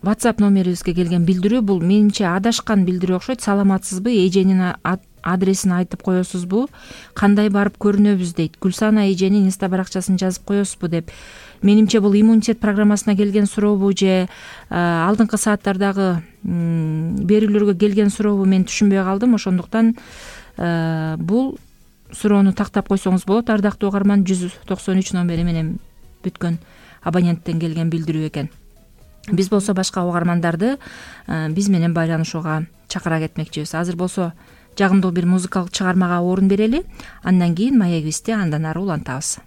WhatsApp номерибизге келген билдирүү, бул менимче адашкан билдирүү окшойт. Саламатсызбы? Эженин адресин айтып коесузбу? Кандай барып көрүнөбүз дейт. Гүлсана эженин инста баракчасын жазып коесузбу деп. Менимче бул иммунитет программасына келген сурообу же алдыңкы сааттардагы берүүлөргө келген сурообу, мен түшүнбөй калдым. Ошондуктан бул суроону тактап койсоңуз болот. Ардактуу угарман, жүз токсон үч номери менен бүткөн абоненттен келген билдирүү экен. Биз болсо башка угармандарды биз менен байланышууга чакыра кетмекчибиз. Азыр болсо жагымдуу бир музыкалык чыгармага орун берели. Андан кийин маегибизди андан ары улантабыз.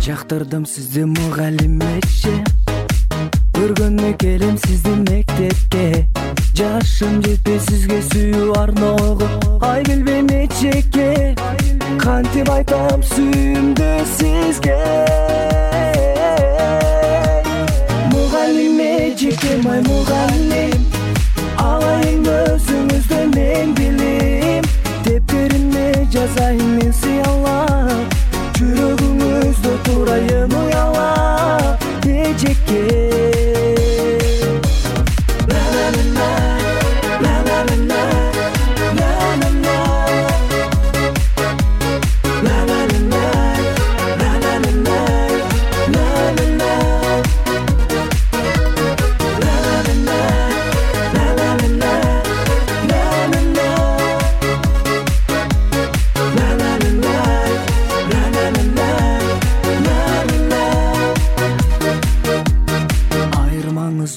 Жактырдым сизди мугалим эже, көргөнү келем сизди мектепке. Жашым жетпей сизге сүйүү арноого, ай билбейм эчекке. Кантип айтам сүйүүмдү сизге. Мугалим эжеке, май мугалим, алайын өзүңүздөн эң билим. Тептериме жазайын мен сыялап, жүрөгүңүздө турайын уялап эжеке.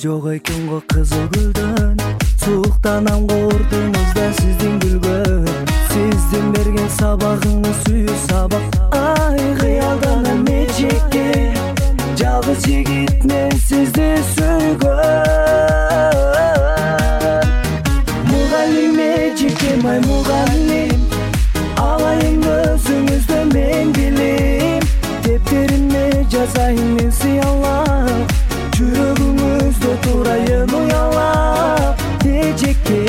Жок экен го кызыл гүлдөн, сууктанам кордуңуз да сиздин күлгөн, сиздин берген сабагыңыз сүйүү сабак. Ай кыялданам эжекке, жалгыз жигит мен сизди сүйгөн. Мугалим эжекем ай мугалим, алайын өзүңүздө мен билим, дептериме жазайын мен сыялап, жүрөгүңүздө турайын уялап эжекке.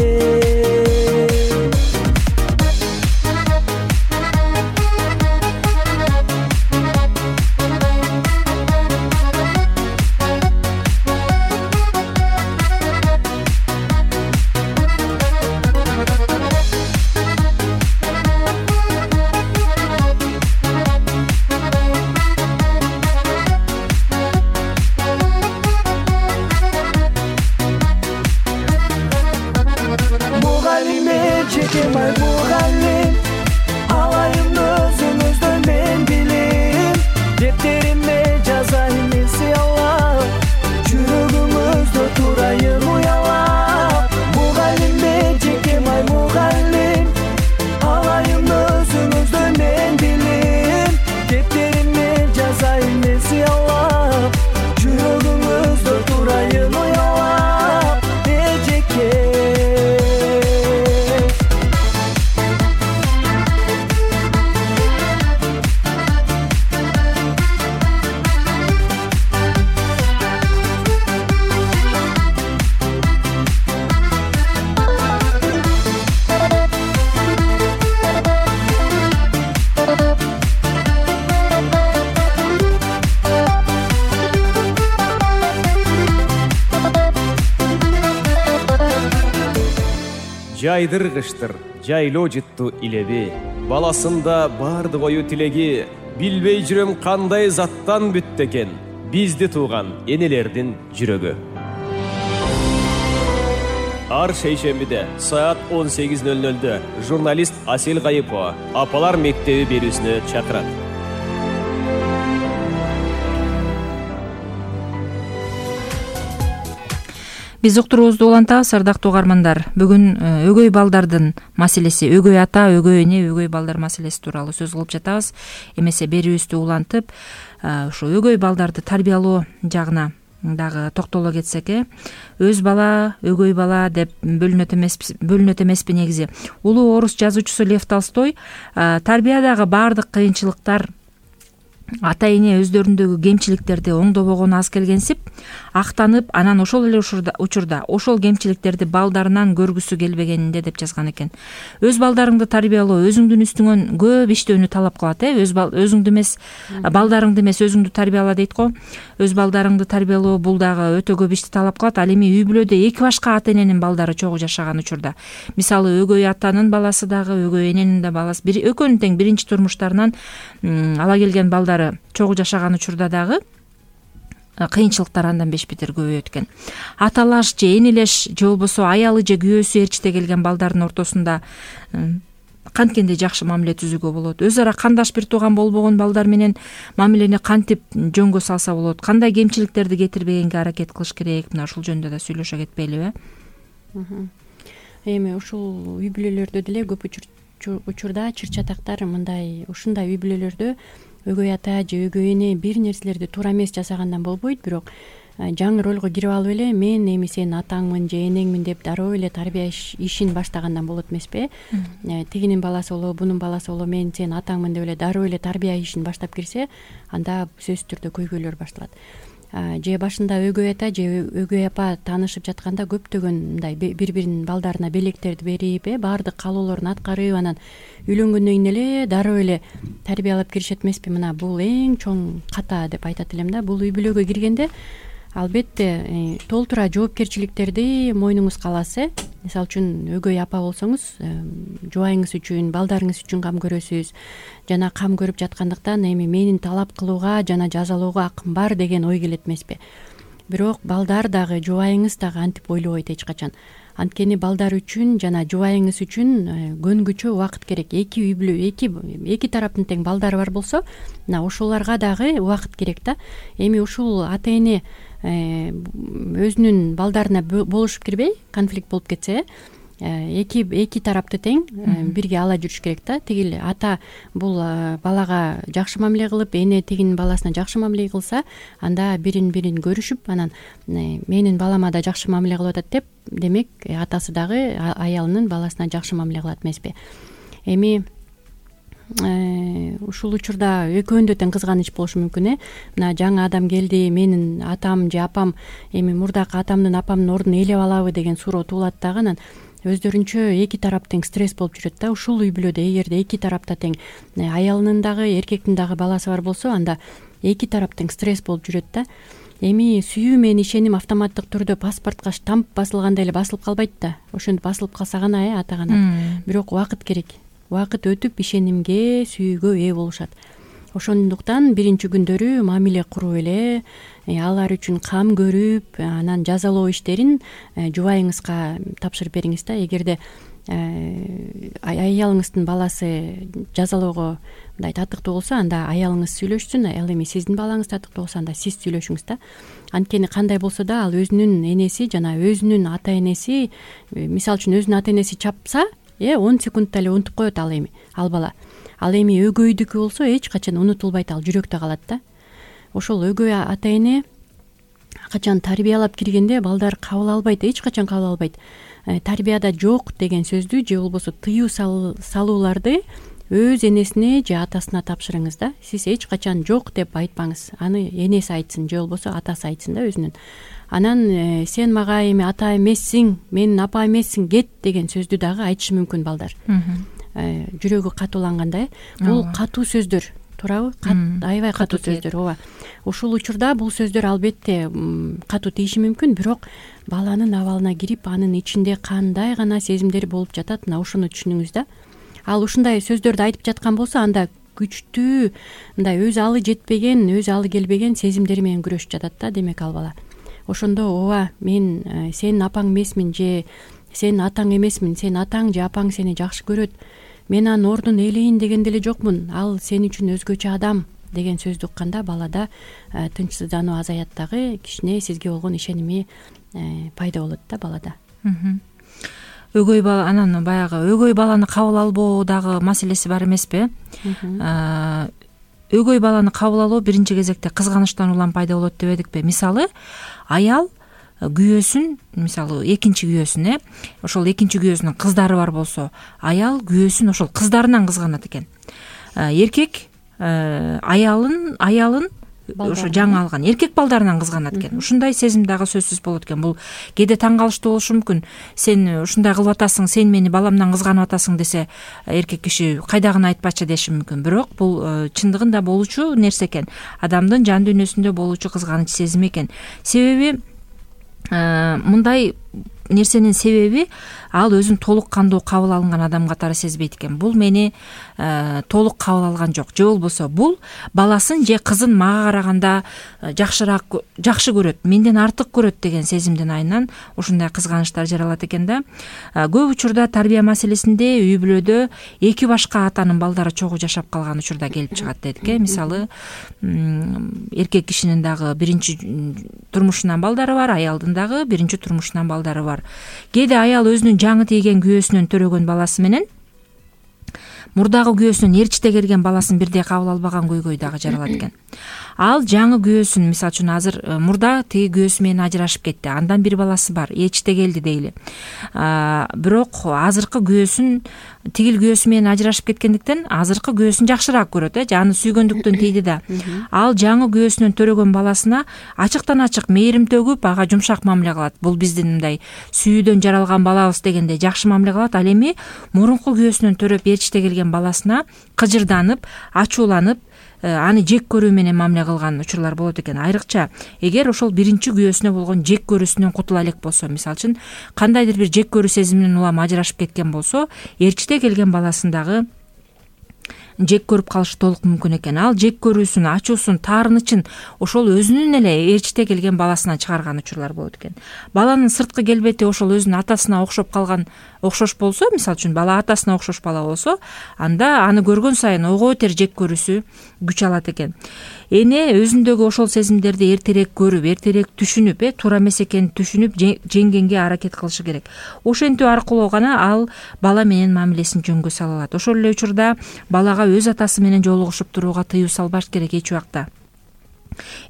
Жайдыргыштыр, жайлоо жытту илеби, баласында барды кою тилеги, билбей жүрөм кандай заттан бүттү экен, бизди тууган энелердин жүрөгү. Ар шейшембиде саат он сегиз ноль нольдө журналист Асел Кайыпова апалар мектеби берүүсүнө чакырат. Биз уктуруубузду улантабыз, ардактуу угармандар. Бүгүн өгөй балдардын маселеси, өгөй ата, өгөй эне, өгөй балдар маселеси тууралуу сөз кылып жатабыз. Эмесе берүүбүздү улантып, ушу өгөй балдарды тарбиялоо жагына дагы токтоло кетсек, э өз бала, өгөй бала деп бөлүнөт эмес, бөлүнөт эмеспи негизи. Улуу орус жазуучусу Лев Толстой тарбиядагы баардык кыйынчылыктар ата эне өздөрүндөгү кемчиликтерди оңдобогону аз келгенсип, актанып, анан ошол эле учурда ошол кемчиликтерди балдарынан көргүсү келбегенинде деп жазган экен. Өз балдарыңды тарбиялоо өзүңдүн үстүңөн көп иштөөнү талап кылат, э өз өзүңдү эмес, балдарыңды эмес, өзүңдү тарбияла дейт го. Өз балдарыңды тарбиялоо бул дагы өтө көп ишти талап кылат. Ал эми үй бүлөдө эки башка ата эненин балдары чогуу жашаган учурда, мисалы өгөй атанын баласы дагы, өгөй эненин да баласы, бир экөөнүн тең биринчи турмуштарынан ала келген балдары чогуу жашаган учурда дагы кыйынчылыктар андан беш бетер көбөйөт экен. Аталаш же энелеш же болбосо аялы же күйөөсү ээрчите келген балдардын ортосунда канткенде жакшы мамиле түзүүгө болот? Өз ара кандаш бир тууган болбогон балдар менен мамилени кантип жөнгө салса болот? Кандай кемчиликтерди кетирбегенге аракет кылыш керек? Мына ушул жөнүндө да сүйлөшө кетпейлиби, э? Эми ушул үй бүлөлөрдө деле көп учурда чыр-чатактар мындай, ушундай үй бүлөлөрдө өгөй ата же өгөй эне бир нерселерди туура эмес жасагандан болбойт, бирок жаңы ролго кирип алып эле мен эми сенин атаңмын же энеңмин деп дароо эле тарбия ишин баштагандан болот эмеспи? Тигинин баласы болобу, бунун баласы болобу, мен сенин атаңмын деп эле дароо эле тарбия ишин баштап кирсе, анда сөзсүз түрдө көйгөйлөр башталат. Же башында өгөй ата же өгөй апа таанышып жатканда көптөгөн мындай бири-биринин балдарына белектерди берип, э баардык каалоолорун аткарып, анан үйлөнгөндөн кийин эле дароо эле тарбиялап киришет эмеспи? Мына бул эң чоң ката деп айтат элем да. Бул үй бүлөгө киргенде албетте толтура жоопкерчиликтерди мойнуңузга аласыз, э мисалы үчүн өгөй апа болсоңуз, жубайыңыз үчүн, балдарыңыз үчүн кам көрөсүз, жана кам көрүп жаткандыктан эми менин талап кылууга жана жазалоого акым бар деген ой келет эмеспи? Бирок балдар дагы, жубайыңыз дагы антип ойлобойт эч качан. Анткени балдар үчүн жана жубайыңыз үчүн көнгүчө убакыт керек. Эки үй бүлө, эки эки тараптын тең балдары бар болсо, мына ошолорго дагы убакыт керек да. Эми ушул ата эне өзүнүн балдарына болушуп кирбей конфликт болуп кетсе эки эки тарапты тең бирге ала жүрүш керек да. Тигил ата бул балага жакшы мамиле кылып, эне тигинин баласына жакшы мамиле кылса, анда бирин бирин көрүшүп, анан менин балама да жакшы мамиле кылып атат деп, демек атасы дагы аялынын баласына жакшы мамиле кылат эмеспи. Эми ушул учурда экөөндө тең кызганыч болушу мүмкүн. Э мына жаңы адам келди, менин атам же апам эми мурдакы атамдын апамдын ордун ээлеп алабы деген суроо туулат дагы. Анан өздөрүнчө эки тарап тең стресс болуп жүрөт да. Ушул үй бүлөдө эгерде эки тарапта тең аялынын дагы эркектин дагы баласы бар болсо, анда эки тарап тең стресс болуп жүрөт да. Эми сүйүү менен ишеним автоматтык түрдө паспортко штамп басылгандай эле басылып калбайт да. Ошентип басылып калса гана э ата гана. Бирок убакыт керек. Убакыт өтүп ишенимге, сүйүүгө ээ болушат. Ошондуктан биринчи күндөрү мамиле куруп эле, алар үчүн кам көрүп, анан жазалоо иштерин жубайыңызга тапшырып бериңиз да. Эгерде аялыңыздын баласы жазалоого мындай татыктуу болсо, анда аялыңыз сүйлөшсүн. Ал эми сиздин балаңыз татыктуу болсо, анда сиз сүйлөшүңүз да. Анткени кандай болсо да, ал өзүнүн энеси жана өзүнүн ата энеси, мисалы үчүн өзүнүн ата энеси чапса, э он секундта эле унутуп коет ал эми ал бала. Ал эми өгөйдүкү болсо эч качан унутулбайт, ал жүрөктө калат да. Ошол өгөй ата эне качан тарбиялап киргенде балдар кабыл албайт, эч качан кабыл албайт. Тарбияда жок деген сөздү же болбосо тыюу салууларды өз энесине же атасына тапшырыңыз да. Сиз эч качан жок деп айтпаңыз. Аны энеси айтсын же болбосо атасы айтсын да өзүнүн. Анан сен мага эми ата эмессиң, менин апа эмессиң, кет деген сөздү дагы айтышы мүмкүн балдар. Жүрөгү катууланганда. Бул катуу сөздөр, туурабы? Аябай катуу сөздөр. Ооба. Ушул учурда бул сөздөр албетте катуу тийиши мүмкүн, бирок баланын абалына кирип, анын ичинде кандай гана сезимдер болуп жатат, мына ошону түшүнүңүз да. Ал ушундай сөздөрдү айтып жаткан болсо, анда күчтүү, мындай өз алы жетпеген, өз алы келбеген сезимдери менен күрөшүп жатат да, демек ал бала. Ошондо ооба, мен сенин апаң эмесмин же сенин атаң эмесмин, сенин атаң же апаң сени жакшы көрөт, мен анын ордун ээлейин деген деле жокмун, ал сен үчүн өзгөчө адам деген сөздү укканда балада тынчсыздануу азаят дагы, кичине сизге болгон ишеними пайда болот да балада. Өгөй бала, анан баягы өгөй баланы кабыл албоо дагы маселеси бар эмеспи? Өгөй баланы кабыл алуу биринчи кезекте кызганычтан улам пайда болот дебедикпи? Мисалы, аял күйөөсүн, мисалы экинчи күйөөсүн, э ошол экинчи күйөөсүнүн кыздары бар болсо, аял күйөөсүн ошол кыздарынан кызганат экен. Эркек аялын аялын ошо жаңы алган эркек балдарынан кызганат экен. Ушундай сезим дагы сөзсүз болот экен. Бул кээде таң калыштуу болушу мүмкүн. Сен ушундай кылып атасың, сен мени баламдан кызганып атасың десе, эркек киши кайдагыны айтпачы деши мүмкүн. Бирок бул чындыгында болуучу нерсе экен. Адамдын жан дүйнөсүндө болуучу кызганыч сезим экен. Себеби мындай нерсенин себеби ал өзүн толук кандуу кабыл алынган адам катары сезбейт экен. Бул мени толук кабыл алган жок, же болбосо бул баласын же кызын мага караганда жакшыраак жакшы көрөт, менден артык көрөт деген сезимдин айынан ушундай кызганычтар жаралат экен да. Көп учурда тарбия маселесинде үй бүлөдө эки башка атанын балдары чогуу жашап калган учурда келип чыгат дедик э. Мисалы, эркек кишинин дагы биринчи турмушунан балдары бар, аялдын дагы биринчи турмушунан балдары бар. Кээде аял өзүнүн жаңы тийген күйөөсүнөн төрөгөн баласы менен мурдагы күйөөсүнөн ээрчите келген баласын бирдей кабыл албаган көйгөй дагы жаралат экен. Ал жаңы күйөөсүн, мисалы үчүн азыр мурда тиги күйөөсү менен ажырашып кетти. Андан бир баласы бар, ээрчите келди дейли. Бирок азыркы күйөөсүн, тигил күйөөсү менен ажырашып кеткендиктен азыркы күйөөсүн жакшыраак көрөт э, аны сүйгөндүктөн тийди да. Ал жаңы күйөөсүнөн төрөгөн баласына ачыктан ачык мээрим төгүп, ага жумшак мамиле кылат. Бул биздин мындай сүйүүдөн жаралган балабыз дегенде жакшы мамиле кылат. Ал эми мурунку күйөөсүнөн төрөп ээрчите келген баласына кыжырданып, ачууланып, аны жек көрүү менен мамиле кылган учурлар болот экен. Айрыкча эгер ошол биринчи күйөөсүнө болгон жек көрүүсүнөн кутула элек болсо, мисалы үчүн кандайдыр бир жек көрүү сезиминен улам ажырашып кеткен болсо, ээрчите келген баласындагы жек көрүп калышы толук мүмкүн экен. Ал жек көрүүсүн, ачуусун, таарынычын ошол өзүнүн эле ээрчите келген баласынан чыгарган учурлар болот экен. Баланын сырткы келбети ошол өзүнүн атасына окшоп калган, окшош болсо, мисалы үчүн бала атасына окшош бала болсо, анда аны көргөн сайын ого бетер жек көрүүсү күч алат экен. эне өзүндөгү ошол сезимдерди эртерээк көрүп, эртерээк түшүнүп, э туура эмес экенин түшүнүп жеңгенге аракет кылышы керек. Ошентүү аркылуу гана ал бала менен мамилесин жөнгө сала алат. Ошол эле учурда балага өз атасы менен жолугушуп турууга тыюу салбаш керек эч убакта.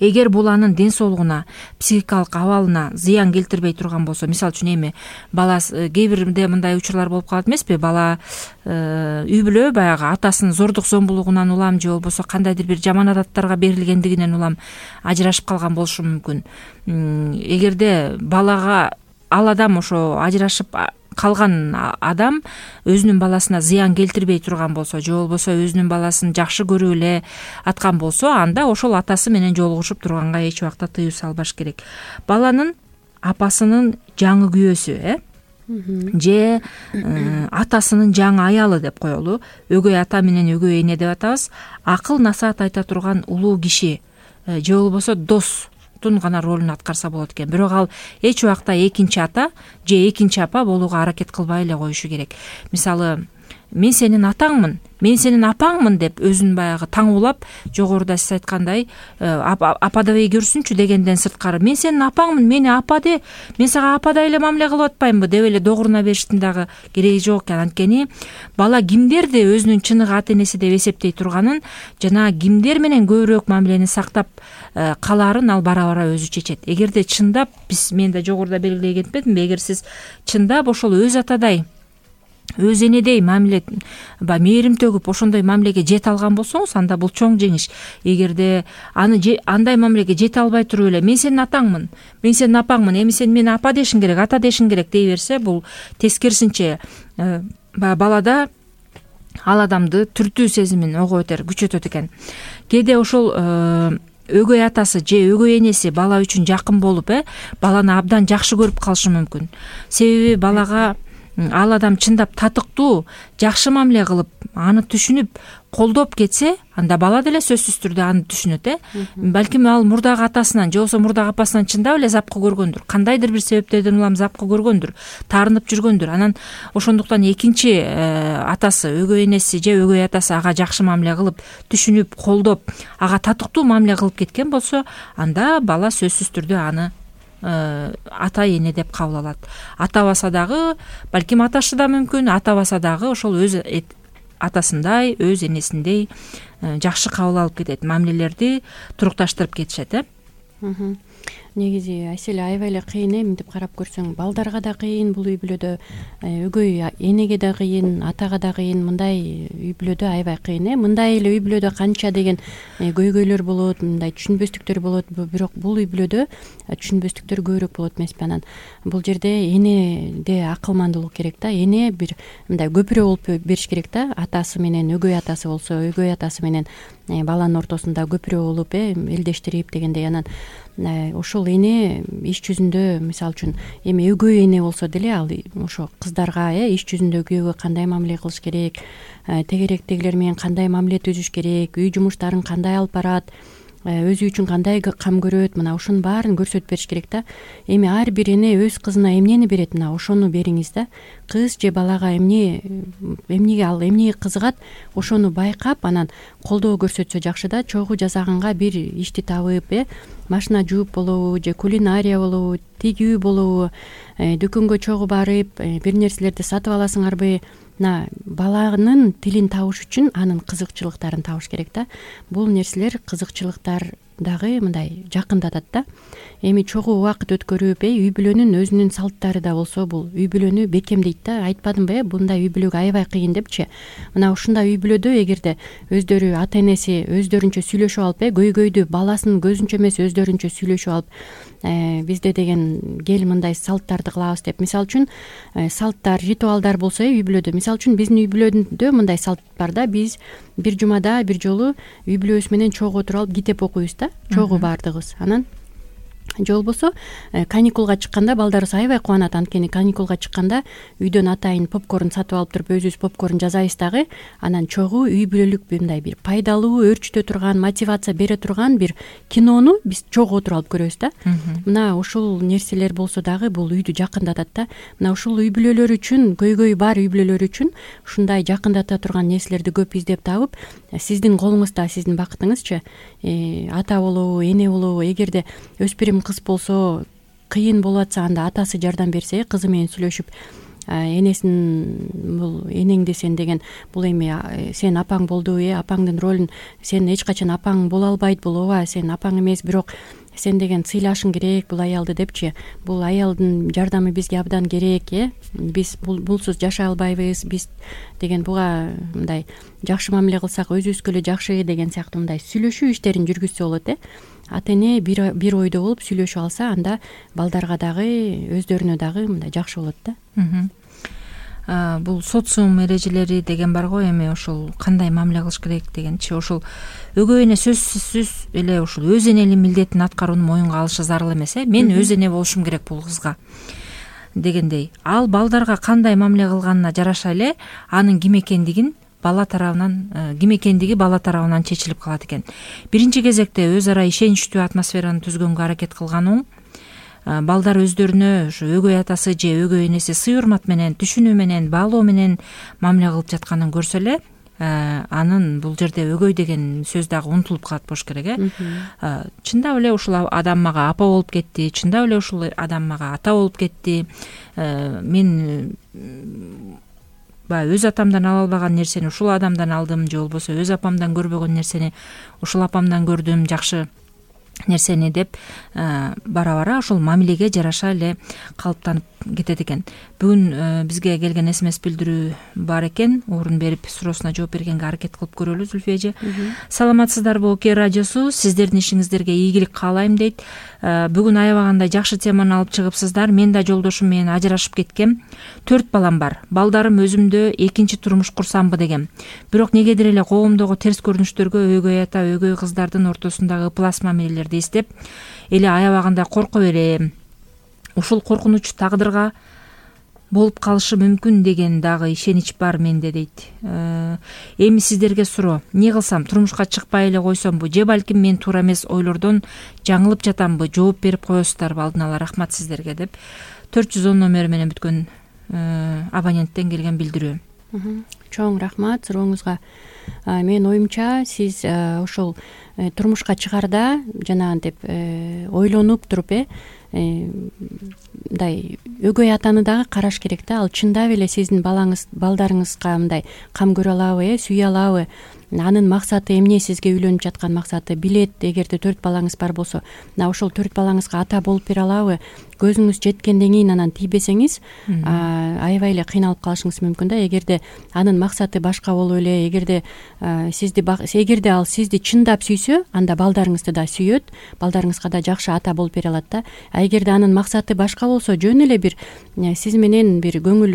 Эгер бул анын ден соолугуна, психикалык абалына зыян келтирбей турган болсо, мисалы үчүн эми бала кээ бирде мындай учурлар болуп калат эмеспи? Бала үй бүлө баягы атасынын зордук зомбулугунан улам же болбосо кандайдыр бир жаман адаттарга берилгендигинен улам ажырашып калган болушу мүмкүн. Эгерде балага ал адам ошо ажырашып калган адам өзүнүн баласына зыян келтирбей турган болсо, же болбосо өзүнүн баласын жакшы көрүп эле аткан болсо, анда ошол атасы менен жолугушуп турганга эч убакта тыюу салбаш керек. Баланын апасынын жаңы күйөөсү, э же атасынын жаңы аялы деп коелу, өгөй ата менен өгөй эне деп атабыз, акыл насаат айта турган улуу киши же болбосо дос гана ролун аткарса болот экен. Бирок ал эч убакта экинчи ата же экинчи апа болууга аракет кылбай эле коюшу керек. Мисалы, мен сенин атаңмын, мен сенин апаңмын деп өзүн баягы таңуулап, жогоруда сиз айткандай ападабей көрсүнчү дегенден сырткары, мен сенин апаңмын, мени апа де, мен сага ападай эле мамиле кылып атпаймынбы деп эле догуруна бериштин дагы кереги жок экен. Анткени бала кимдерди өзүнүн чыныгы ата энеси деп эсептей турганын жана кимдер менен көбүрөөк мамилени сактап калаарын ал бара бара өзү чечет. Эгерде чындап, биз мен да жогоруда белгилей кетпедимби, эгер сиз чындап ошол өз атадай, өз энедей мамиле, мээрим төгүп ошондой мамилеге жете алган болсоңуз, анда бул чоң жеңиш. Эгерде аны андай мамилеге жете албай туруп эле, мен сенин атаңмын, мен сенин апаңмын, эми сен мени апа дешиң керек, ата дешиң керек дей берсе, бул тескерисинче балада ал адамды түртүү сезимин ого бетер күчөтөт экен. Кээде ошол өгөй атасы же өгөй энеси бала үчүн жакын болуп, э баланы абдан жакшы көрүп калышы мүмкүн. Себеби балага ал адам чындап татыктуу, жакшы мамиле кылып, аны түшүнүп, колдоп кетсе, анда бала деле сөзсүз түрдө аны түшүнөт, э балким ал мурдагы атасынан же болбосо мурдагы апасынан чындап эле запкы көргөндүр, кандайдыр бир себептерден улам запкы көргөндүр, таарынып жүргөндүр. Анан ошондуктан экинчи атасы, өгөй энеси же өгөй атасы ага жакшы мамиле кылып, түшүнүп, колдоп, ага татыктуу мамиле кылып кеткен болсо, анда бала сөзсүз түрдө аны ата эне деп кабыл алат. Атабаса дагы, балким аташы да мүмкүн, атабаса дагы ошол өз атасындай, өз энесиндей жакшы кабыл алып кетет, мамилелерди турукташтырып кетишет, э негизи Айселе аябай эле кыйын, э мынтип карап көрсөң, балдарга да кыйын бул үй бүлөдө, өгөй энеге да кыйын, атага да кыйын, мындай үй бүлөдө аябай кыйын, э мындай эле үй бүлөдө канча деген көйгөйлөр болот, мындай түшүнбөстүктөр болот, бирок бул үй бүлөдө түшүнбөстүктөр көбүрөөк болот эмеспи? Анан бул жерде энеде акылмандуулук керек да, эне бир мындай көпүрө болуп бериш керек да, атасы менен өгөй атасы болсо, өгөй атасы менен баланын ортосунда көпүрө болуп, э элдештирип дегендей. Анан ошол эне иш жүзүндө, мисалы үчүн эми өгөй эне болсо деле, ал ошо кыздарга э иш жүзүндө күйөөгө кандай мамиле кылыш керек, тегеректегилер менен кандай мамиле түзүш керек, үй жумуштарын кандай алып барат, өзү үчүн кандай кам көрөт, мына ошонун баарын көрсөтүп бериш керек да. Эми ар бир эне өз кызына эмнени берет, мына ошону бериңиз да. Кыз же балага эмне эмнеге ал эмнеге кызыгат, ошону байкап, анан колдоо көрсөтсө жакшы да. Чогуу жасаганга бир ишти табып, э машина жууп болобу, же кулинария болобу, тигүү болобу, дүкөнгө чогуу барып бир нерселерди сатып аласыңарбы, мына баланын тилин табыш үчүн анын кызыкчылыктарын табыш керек да. Бул нерселер, кызыкчылыктар дагы мындай жакындатат да. Эми чогуу убакыт өткөрүп, э үй бүлөнүн өзүнүн салттары да болсо, бул үй бүлөнү бекемдейт да. Айтпадымбы, э мындай үй бүлөгө аябай кыйын депчи. Мына ушундай үй бүлөдө эгерде өздөрү ата энеси өздөрүнчө сүйлөшүп алып, э көйгөйдү баласынын көзүнчө эмес өздөрүнчө сүйлөшүп алып, бизде деген кел мындай салттарды кылабыз деп, мисалы үчүн салттар, ритуалдар болсо, үй бүлөдө, мисалы үчүн биздин үй бүлөдө мындай салт бар да. Биз бир жумада бир жолу үй бүлөбүз менен чогуу отуруп алып китеп окуйбуз да, чогуу баардыгыбыз. Анан же болбосо каникулга чыкканда балдарыбыз аябай кубанат. Анткени каникулга чыкканда үйдөн атайын попкорн сатып алып туруп өзүбүз попкорн жасайбыз дагы. Анан чогуу үй бүлөлүк мындай бир пайдалуу, өөрчүтө турган, мотивация бере турган бир кинону биз чогуу отуруп алып көрөбүз да. Мына ушул нерселер болсо дагы бул үйдү жакындатат да. Мына ушул үй бүлөлөр үчүн, көйгөйү бар үй бүлөлөр үчүн ушундай жакындата турган нерселерди көп издеп табып, сиздин колуңузда, сиздин бакытыңызчы, ата болобу, эне болобу, эгерде өспүрүм кыз болсо кыйын болуп атса, анда атасы жардам берсе, кызы менен сүйлөшүп, энесин бул энеңди сен деген бул эми сен апаң болду, э апаңдын ролун сен эч качан апаң боло албайт, бул ооба сен апаң эмес, бирок сен деген сыйлашың керек бул аялды депчи. Бул аялдын жардамы бизге абдан керек, э биз булсуз жашай албайбыз, биз деген буга мындай жакшы мамиле кылсак өзүбүзгө эле жакшы деген сыяктуу мындай сүйлөшүү иштерин жүргүзсө болот, э ата эне бир бир ойдо болуп сүйлөшүп алса, анда балдарга дагы өздөрүнө дагы мындай жакшы болот да. Бул социум эрежелери деген бар го, эми ошол кандай мамиле кылыш керек дегенчи, ошол өгөй эне сөзсүз эле ушул өз энелик милдетин аткарууну моюнга алышы зарыл эмес, э мен өз эне болушум керек бул кызга дегендей. Ал балдарга кандай мамиле кылганына жараша эле анын ким экендигин бала тарабынан ким экендиги бала тарабынан чечилип калат экен. Биринчи кезекте өз ара ишеничтүү атмосфераны түзгөнгө аракет кылган оң. Балдар өздөрүнө ушу өгөй атасы же өгөй энеси сый урмат менен, түшүнүү менен, баалоо менен мамиле кылып жатканын көрсө эле, анын бул жерде өгөй деген сөз дагы унутулуп калат болуш керек, э чындап эле ушул адам мага апа болуп кетти, чындап эле ушул адам мага ата болуп кетти, мен баягы өз атамдан ала албаган нерсени ушул адамдан алдым, же болбосо өз апамдан көрбөгөн нерсени ушул апамдан көрдүм, жакшы нерсени деп бара-бара ошол мамилеге жараша эле калыптанып кетет экен. Бүгүн бизге келген смс билдирүү бар экен, орун берип суроосуна жооп бергенге аракет кылып көрөлү. Зүлфия эже, саламатсыздарбы? Оке радиосу сиздердин ишиңиздерге ийгилик каалайм дейт. Бүгүн аябагандай жакшы теманы алып чыгыпсыздар. Мен да жолдошум менен ажырашып кеткем. Төрт балам бар. Балдарым өзүмдө экинчи турмуш курсамбы дегем. Бирок негедир эле коомдогу терс көрүнүштөргө өгөй ата, өгөй кыздардын ортосундагы ыплас мамилелерди эстеп эле аябагандай корко берем. Ушул коркунуч тагдырга болуп калышы мүмкүн деген дагы ишенич бар менде дейт. Эми сиздерге суроо: эмне кылсам, турмушка чыкпай эле койсомбу, же балким мен туура эмес ойлордон жаңылып жатамбы? Жооп берип коесуздарбы алдын ала? Рахмат сиздерге деп төрт жүз он номери менен бүткөн абоненттен келген билдирүү. Чоң рахмат сурооңузга. Менин оюмча, сиз ошол турмушка чыгарда жанагынтип ойлонуп туруп, э мындай өгөй атаны дагы караш керек да. Ал чындап эле сиздин балаңыз, балдарыңызга мындай кам көрө алабы, э сүйө алабы? Анын максаты эмне, сизге үйлөнүп жаткан максаты билет. Эгерде төрт балаңыз бар болсо, мына ошол төрт балаңызга ата болуп бере алабы? Көзүңүз жеткенден кийин анан тийбесеңиз, аябай эле кыйналып калышыңыз мүмкүн да. Эгерде анын максаты башка болуп эле, эгерде сизди эгерде ал сизди чындап сүйсө, анда балдарыңызды да сүйөт, балдарыңызга да жакшы ата болуп бере алат да. А эгерде анын максаты башка болсо, жөн эле бир сиз менен бир көңүл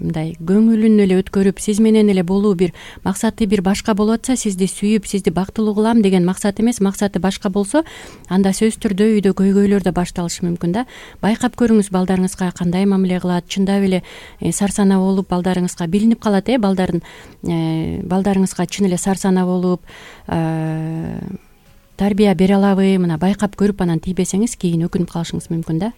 мындай көңүлүн эле өткөрүп, сиз менен эле болуу бир максаты бир башка болуп атса, сизди сүйүп, сизди бактылуу кылам деген максат эмес, максаты башка болсо, анда сөзсүз түрдө үйдө көйгөйлөр да башталышы мүмкүн да. Байкап көрүңүз балдарыңызга кандай мамиле кылат. Чындап эле сарсана болуп балдарыңызга билинип калат, э балдардын балдарыңызга чын эле сарсана болуп тарбия бере алабы? Мына байкап көрүп анан тийбесеңиз, кийин өкүнүп калышыңыз мүмкүн да.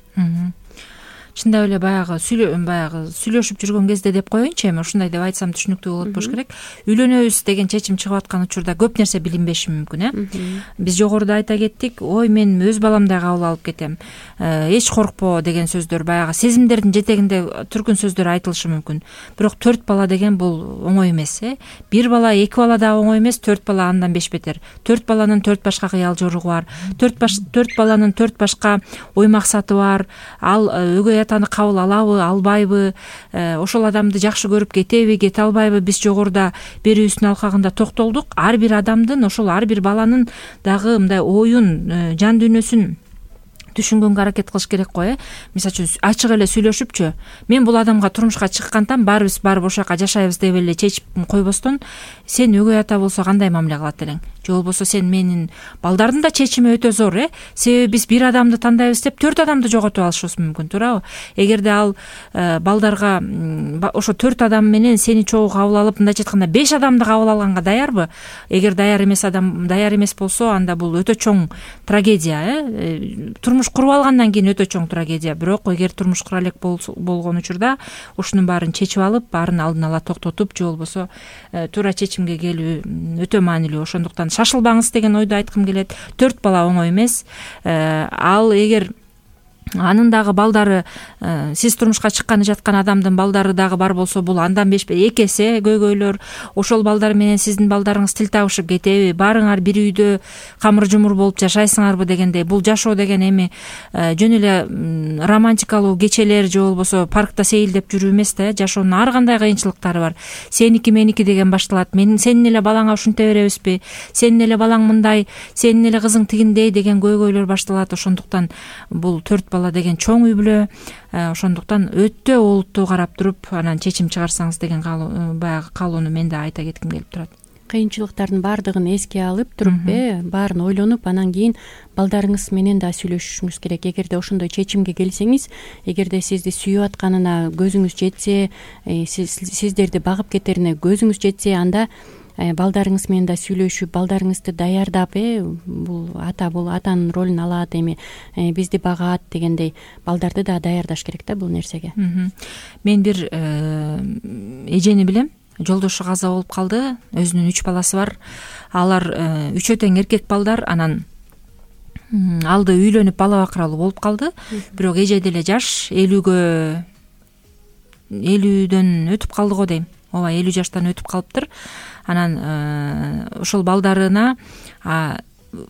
Чындап эле баягы сүйлө баягы сүйлөшүп жүргөн кезде деп коеюнчу, эми ушундай деп айтсам түшүнүктүү болот болуш керек. Үйлөнөбүз деген чечим чыгып аткан учурда көп нерсе билинбеши мүмкүн, э биз жогоруда айта кеттик, ой мен өз баламдай кабыл алып кетем, эч коркпо деген сөздөр, баягы сезимдердин жетегинде түркүн сөздөр айтылышы мүмкүн. Бирок төрт бала деген бул оңой эмес, э бир бала, эки бала да оңой эмес, төрт бала андан беш бетер. Төрт баланын төрт башка кыял жоругу бар, төрт баш төрт баланын төрт башка ой максаты бар. Ал өгөй атаны кабыл алабы, албайбы, ошол адамды жакшы көрүп кетеби, кете албайбы? Биз жогоруда берүүбүздүн алкагында токтолдук. Ар бир адамдын, ошол ар бир баланын дагы мындай оюн, жан дүйнөсүн түшүнгөнгө аракет кылыш керек го. э Мисалы үчүн ачык эле сүйлөшүпчү, мен бул адамга турмушка чыккантан баарыбыз барып ошол жака жашайбыз деп эле чечип койбостон, сен өгөй ата болсо кандай мамиле кылат элең, же болбосо сен менин балдардын да чечими өтө зор. э Себеби биз бир адамды тандайбыз деп төрт адамды жоготуп алышыбыз мүмкүн, туурабы? Эгерде ал балдарга ошо төрт адам менен сени чогуу кабыл алып, мындайча айтканда беш адамды кабыл алганга даярбы? Эгер даяр эмес адам даяр эмес болсо, анда бул өтө чоң трагедия. э Турмуш куруп алгандан кийин өтө чоң трагедия. Бирок эгер турмуш кура элек болгон учурда ушунун баарын чечип алып, баарын алдын ала токтотуп, же болбосо туура чечимге келүү өтө маанилүү. Ошондуктан шашылбаңыз деген ойду айткым келет. Төрт бала оңой эмес. Ал эгер анын дагы балдары, сиз турмушка чыкканы жаткан адамдын балдары дагы бар болсо, бул андан беш эки эсе көйгөйлөр. Ошол балдар менен сиздин балдарыңыз тил табышып кетеби? Баарыңар бир үйдө камыр жумур болуп жашайсыңарбы дегендей. Бул жашоо деген эми жөн эле романтикалуу кечелер же болбосо паркта сейилдеп жүрүү эмес да. Жашоонун ар кандай кыйынчылыктары бар. Сеники меники деген башталат. Мен сенин эле балаңа ушинте беребизби? Сенин эле балаң мындай, сенин эле кызың тигиндей деген көйгөйлөр башталат. Ошондуктан бул төрт бала деген чоң үй бүлө. Ошондуктан өтө олуттуу карап туруп анан чечим чыгарсаңыз деген баягы каалоону мен да айта кетким келип турат. Кыйынчылыктардын баардыгын эске алып туруп, э баарын ойлонуп, анан кийин балдарыңыз менен да сүйлөшүшүңүз керек. Эгерде ошондой чечимге келсеңиз, эгерде сизди сүйүп атканына көзүңүз жетсе, сиздерди багып кетерине көзүңүз жетсе, анда балдарыңыз менен да сүйлөшүп, балдарыңызды даярдап, э бул ата бул атанын ролун алат, эми бизди багат дегендей балдарды да даярдаш керек да бул нерсеге. Мен бир эжени билем, жолдошу каза болуп калды, өзүнүн үч баласы бар. Алар үчөө тең эркек балдар, анан алды үйлөнүп бала бакыралуу болуп калды. Бирок эже деле жаш, элүүгө элүүдөн өтүп калды го дейм. Ооба, элүү жаштан өтүп калыптыр. Анан ошол балдарына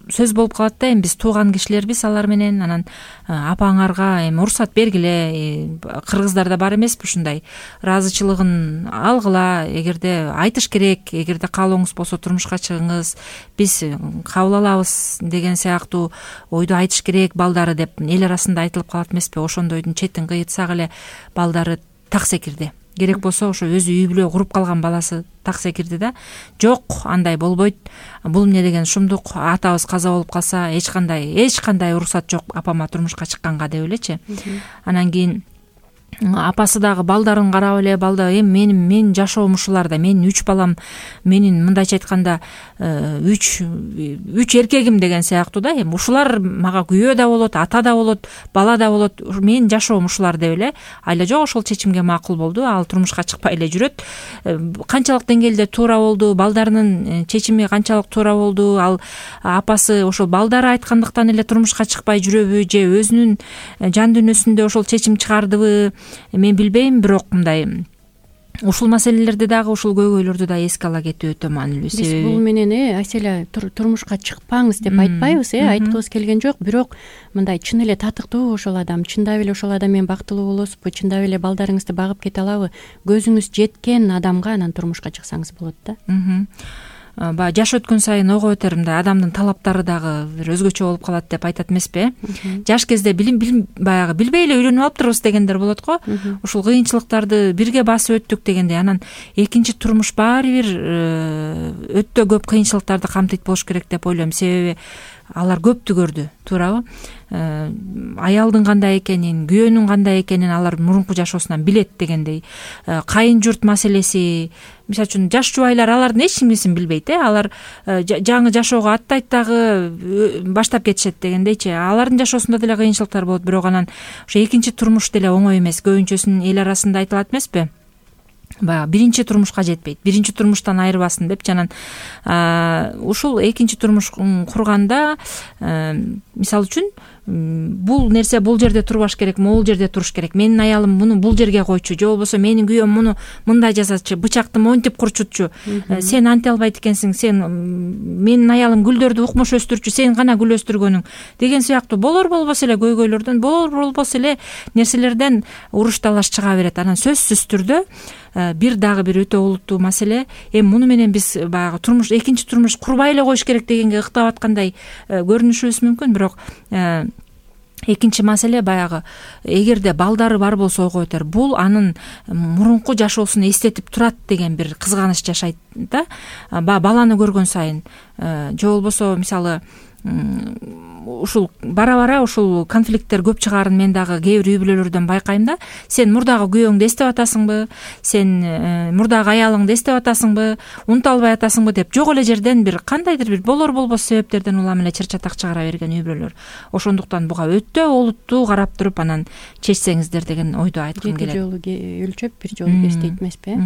сөз болуп калат да, эми биз тууган кишилербиз алар менен, анан апаңарга эми уруксат бергиле, кыргыздарда бар эмеспи ушундай, ыраазычылыгын алгыла, эгерде айтыш керек, эгерде каалооңуз болсо турмушка чыгыңыз, биз кабыл алабыз деген сыяктуу ойду айтыш керек балдары деп эл арасында айтылып калат эмеспи? Ошондойдун четин кыйытсак эле балдары так секирди. Керек болсо ошо өзү үй бүлө куруп калган баласы так секирди да. Жок, андай болбойт. Бул эмне деген шумдук, атабыз каза болуп калса эч кандай эч кандай уруксат жок апама турмушка чыкканга деп элечи. Анан кийин апасы дагы балдарын карап эле, балда эми менин мен жашоом ушуларда, менин үч балам, менин мындайча айтканда үч үч эркегим деген сыяктуу да. Эми ушулар мага күйөө да болот, ата да болот, бала да болот, менин жашоом ушулар деп эле айла жок ошол чечимге макул болду. Ал турмушка чыкпай эле жүрөт. Канчалык деңгээлде туура болду, балдарынын чечими канчалык туура болду, ал апасы ошол балдары айткандыктан эле турмушка чыкпай жүрөбү, же өзүнүн жан дүйнөсүндө ошол чечим чыгардыбы, мен билбейм. Бирок мындай ушул маселелерди дагы, ушул көйгөйлөрдү да эске ала кетүү өтө маанилүү. Биз бул менен э Айселя турмушка чыкпаңыз деп айтпайбыз, э айткыбыз келген жок. Бирок мындай чын эле татыктуу ошол адам, чындап эле ошол адам менен бактылуу болосузбу, чындап эле балдарыңызды багып кете алабы, көзүңүз жеткен адамга анан турмушка чыксаңыз болот да. Баягы жаш өткөн сайын ого өтөр мындай адамдын талаптары дагы бир өзгөчө болуп калат деп айтат эмеспи? Жаш кезде билим билим баягы билбей эле үйлөнүп алыптырбыз дегендер болот го. Ушул кыйынчылыктарды бирге басып өттүк дегендей, анан экинчи турмуш баары бир өтө көп кыйынчылыктарды камтыйт болуш керек деп ойлойм. Себеби алар көптү көрдү, туурабы? Аялдын кандай экенин, күйөөнүн кандай экенин алар мурунку жашоосунан билет дегендей. Кайын журт маселеси, мисалы үчүн жаш жубайлар алардын эч нерсесин билбейт, э алар жаңы жашоого аттайт дагы баштап кетишет дегендейчи. Алардын жашоосунда деле кыйынчылыктар болот, бирок анан ошо экинчи турмуш деле оңой эмес. Көбүнчөсүн эл арасында айтылат эмеспи? Баягы биринчи турмушка жетпейт, биринчи турмуштан айырбасын депчи. Анан ушул экинчи турмуш курганда, мисалы үчүн, бул нерсе бул жерде турбаш керек, могул жерде туруш керек. Менин аялым муну бул жерге койчу, же болбосо менин күйөөм муну мындай жасачу, бычакты монтип курчутчу. Сен анте албайт экенсиң, сен менин аялым гүлдөрдү укмуш өстүрчү, сен гана гүл өстүргөнүң деген сыяктуу болор болбосо эле көйгөйлөрдөн, болор болбосо эле нерселерден уруш талаш чыга берет. Анан сөзсүз түрдө бир дагы бир өтө олуттуу маселе, эми муну менен биз баягы турмуш экинчи турмуш курбай эле коюш керек дегенге ыктап аткандай көрүнүшүбүз мүмкүн, бирок экинчи маселе баягы эгерде балдары бар болсо ой коет бул анын мурунку жашоосун эстетип турат деген бир кызганыч жашайт да баланы көргөн сайын. Же болбосо мисалы ушул бара бара ушул конфликттер көп чыгаарын мен дагы кээ бир үй бүлөлөрдөн байкайм да. Сен мурдагы күйөөңдү эстеп атасыңбы, сен мурдагы аялыңды эстеп атасыңбы, унута албай атасыңбы деп жок эле жерден бир кандайдыр бир болор болбос себептерден улам эле чыр чатак чыгара берген үй бүлөлөр. Ошондуктан буга өтө олуттуу карап туруп анан чечсеңиздер деген ойду айткым келет. Эки жолу өлчөп бир жолу кес дейт эмеспи?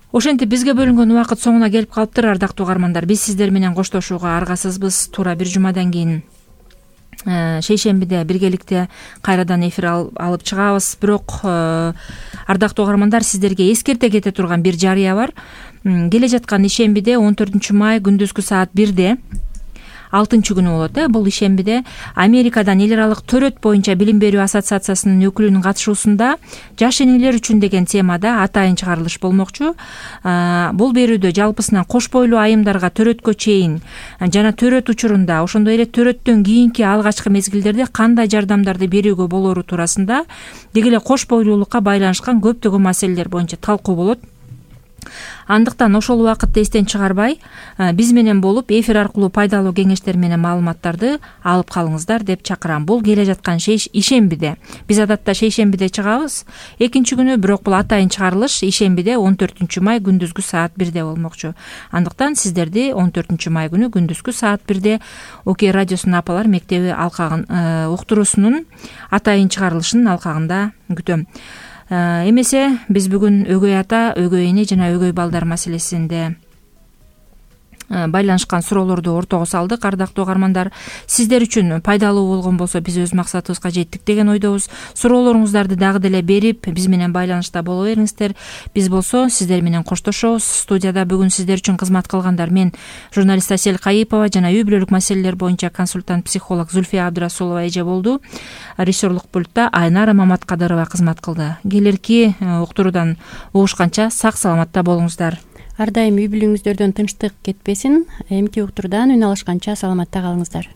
Ошентип бизге бөлүнгөн убакыт соңуна келип калыптыр, ардактуу угармандар. Биз сиздер менен коштошууга аргасызбыз. Туура бир жумадан кийин шейшембиде биргеликте кайрадан эфир алып чыгабыз. Бирок ардактуу угармандар, сиздерге эскерте кете турган бир жарыя бар. Келе жаткан ишембиде он төртүнчү май күндүзгү саат бирде алтынчы күнү болот. Э бул ишембиде Америкадан эл аралык төрөт боюнча билим берүү ассоциациясынын өкүлүнүн катышуусунда жаш энелер үчүн деген темада атайын чыгарылыш болмокчу. Бул берүүдө жалпысынан кош бойлуу айымдарга төрөткө чейин жана төрөт учурунда, ошондой эле төрөттөн кийинки алгачкы мезгилдерде кандай жардамдарды берүүгө болору туурасында, деги эле кош бойлуулукка байланышкан көптөгөн маселелер боюнча талкуу болот. Андыктан ошол убакытты эстен чыгарбай, биз менен болуп эфир аркылуу пайдалуу кеңештер менен маалыматтарды алып калыңыздар деп чакырам. Бул келе жаткан ишембиде. Биз адатта шейшембиде чыгабыз. Экинчи күнү, бирок бул атайын чыгарылыш ишембиде он төртүнчү май күндүзгү саат бирде болмокчу. Андыктан сиздерди он төртүнчү май күнү күндүзгү саат бирде Окей радиосунун апалар мектеби алкагын уктуруусунун атайын чыгарылышынын алкагында күтөм. Эмесе биз бүгүн өгөй ата, өгөй эне жана өгөй балдар маселесинде байланышкан суроолорду ортого салдык. Ардактуу угармандар, сиздер үчүн пайдалуу болгон болсо биз өз максатыбызга жеттик деген ойдобуз. Суроолоруңуздарды дагы деле берип, биз менен байланышта боло бериңиздер. Биз болсо сиздер менен коштошобуз. Студияда бүгүн сиздер үчүн кызмат кылгандар мен журналист Асель Кайыпова жана үй бүлөлүк маселелер боюнча консультант психолог Зульфия Абдрасулова эже болду. Режиссерлук пультта Айнара Маматкадырова кызмат кылды. Келерки уктуруудан угушканча сак саламатта болуңуздар. Ар дайым үй бүлөңүздөрдөн тынчтык кетпесин. Эмки уктуруудан үн алышканча саламатта калыңыздар.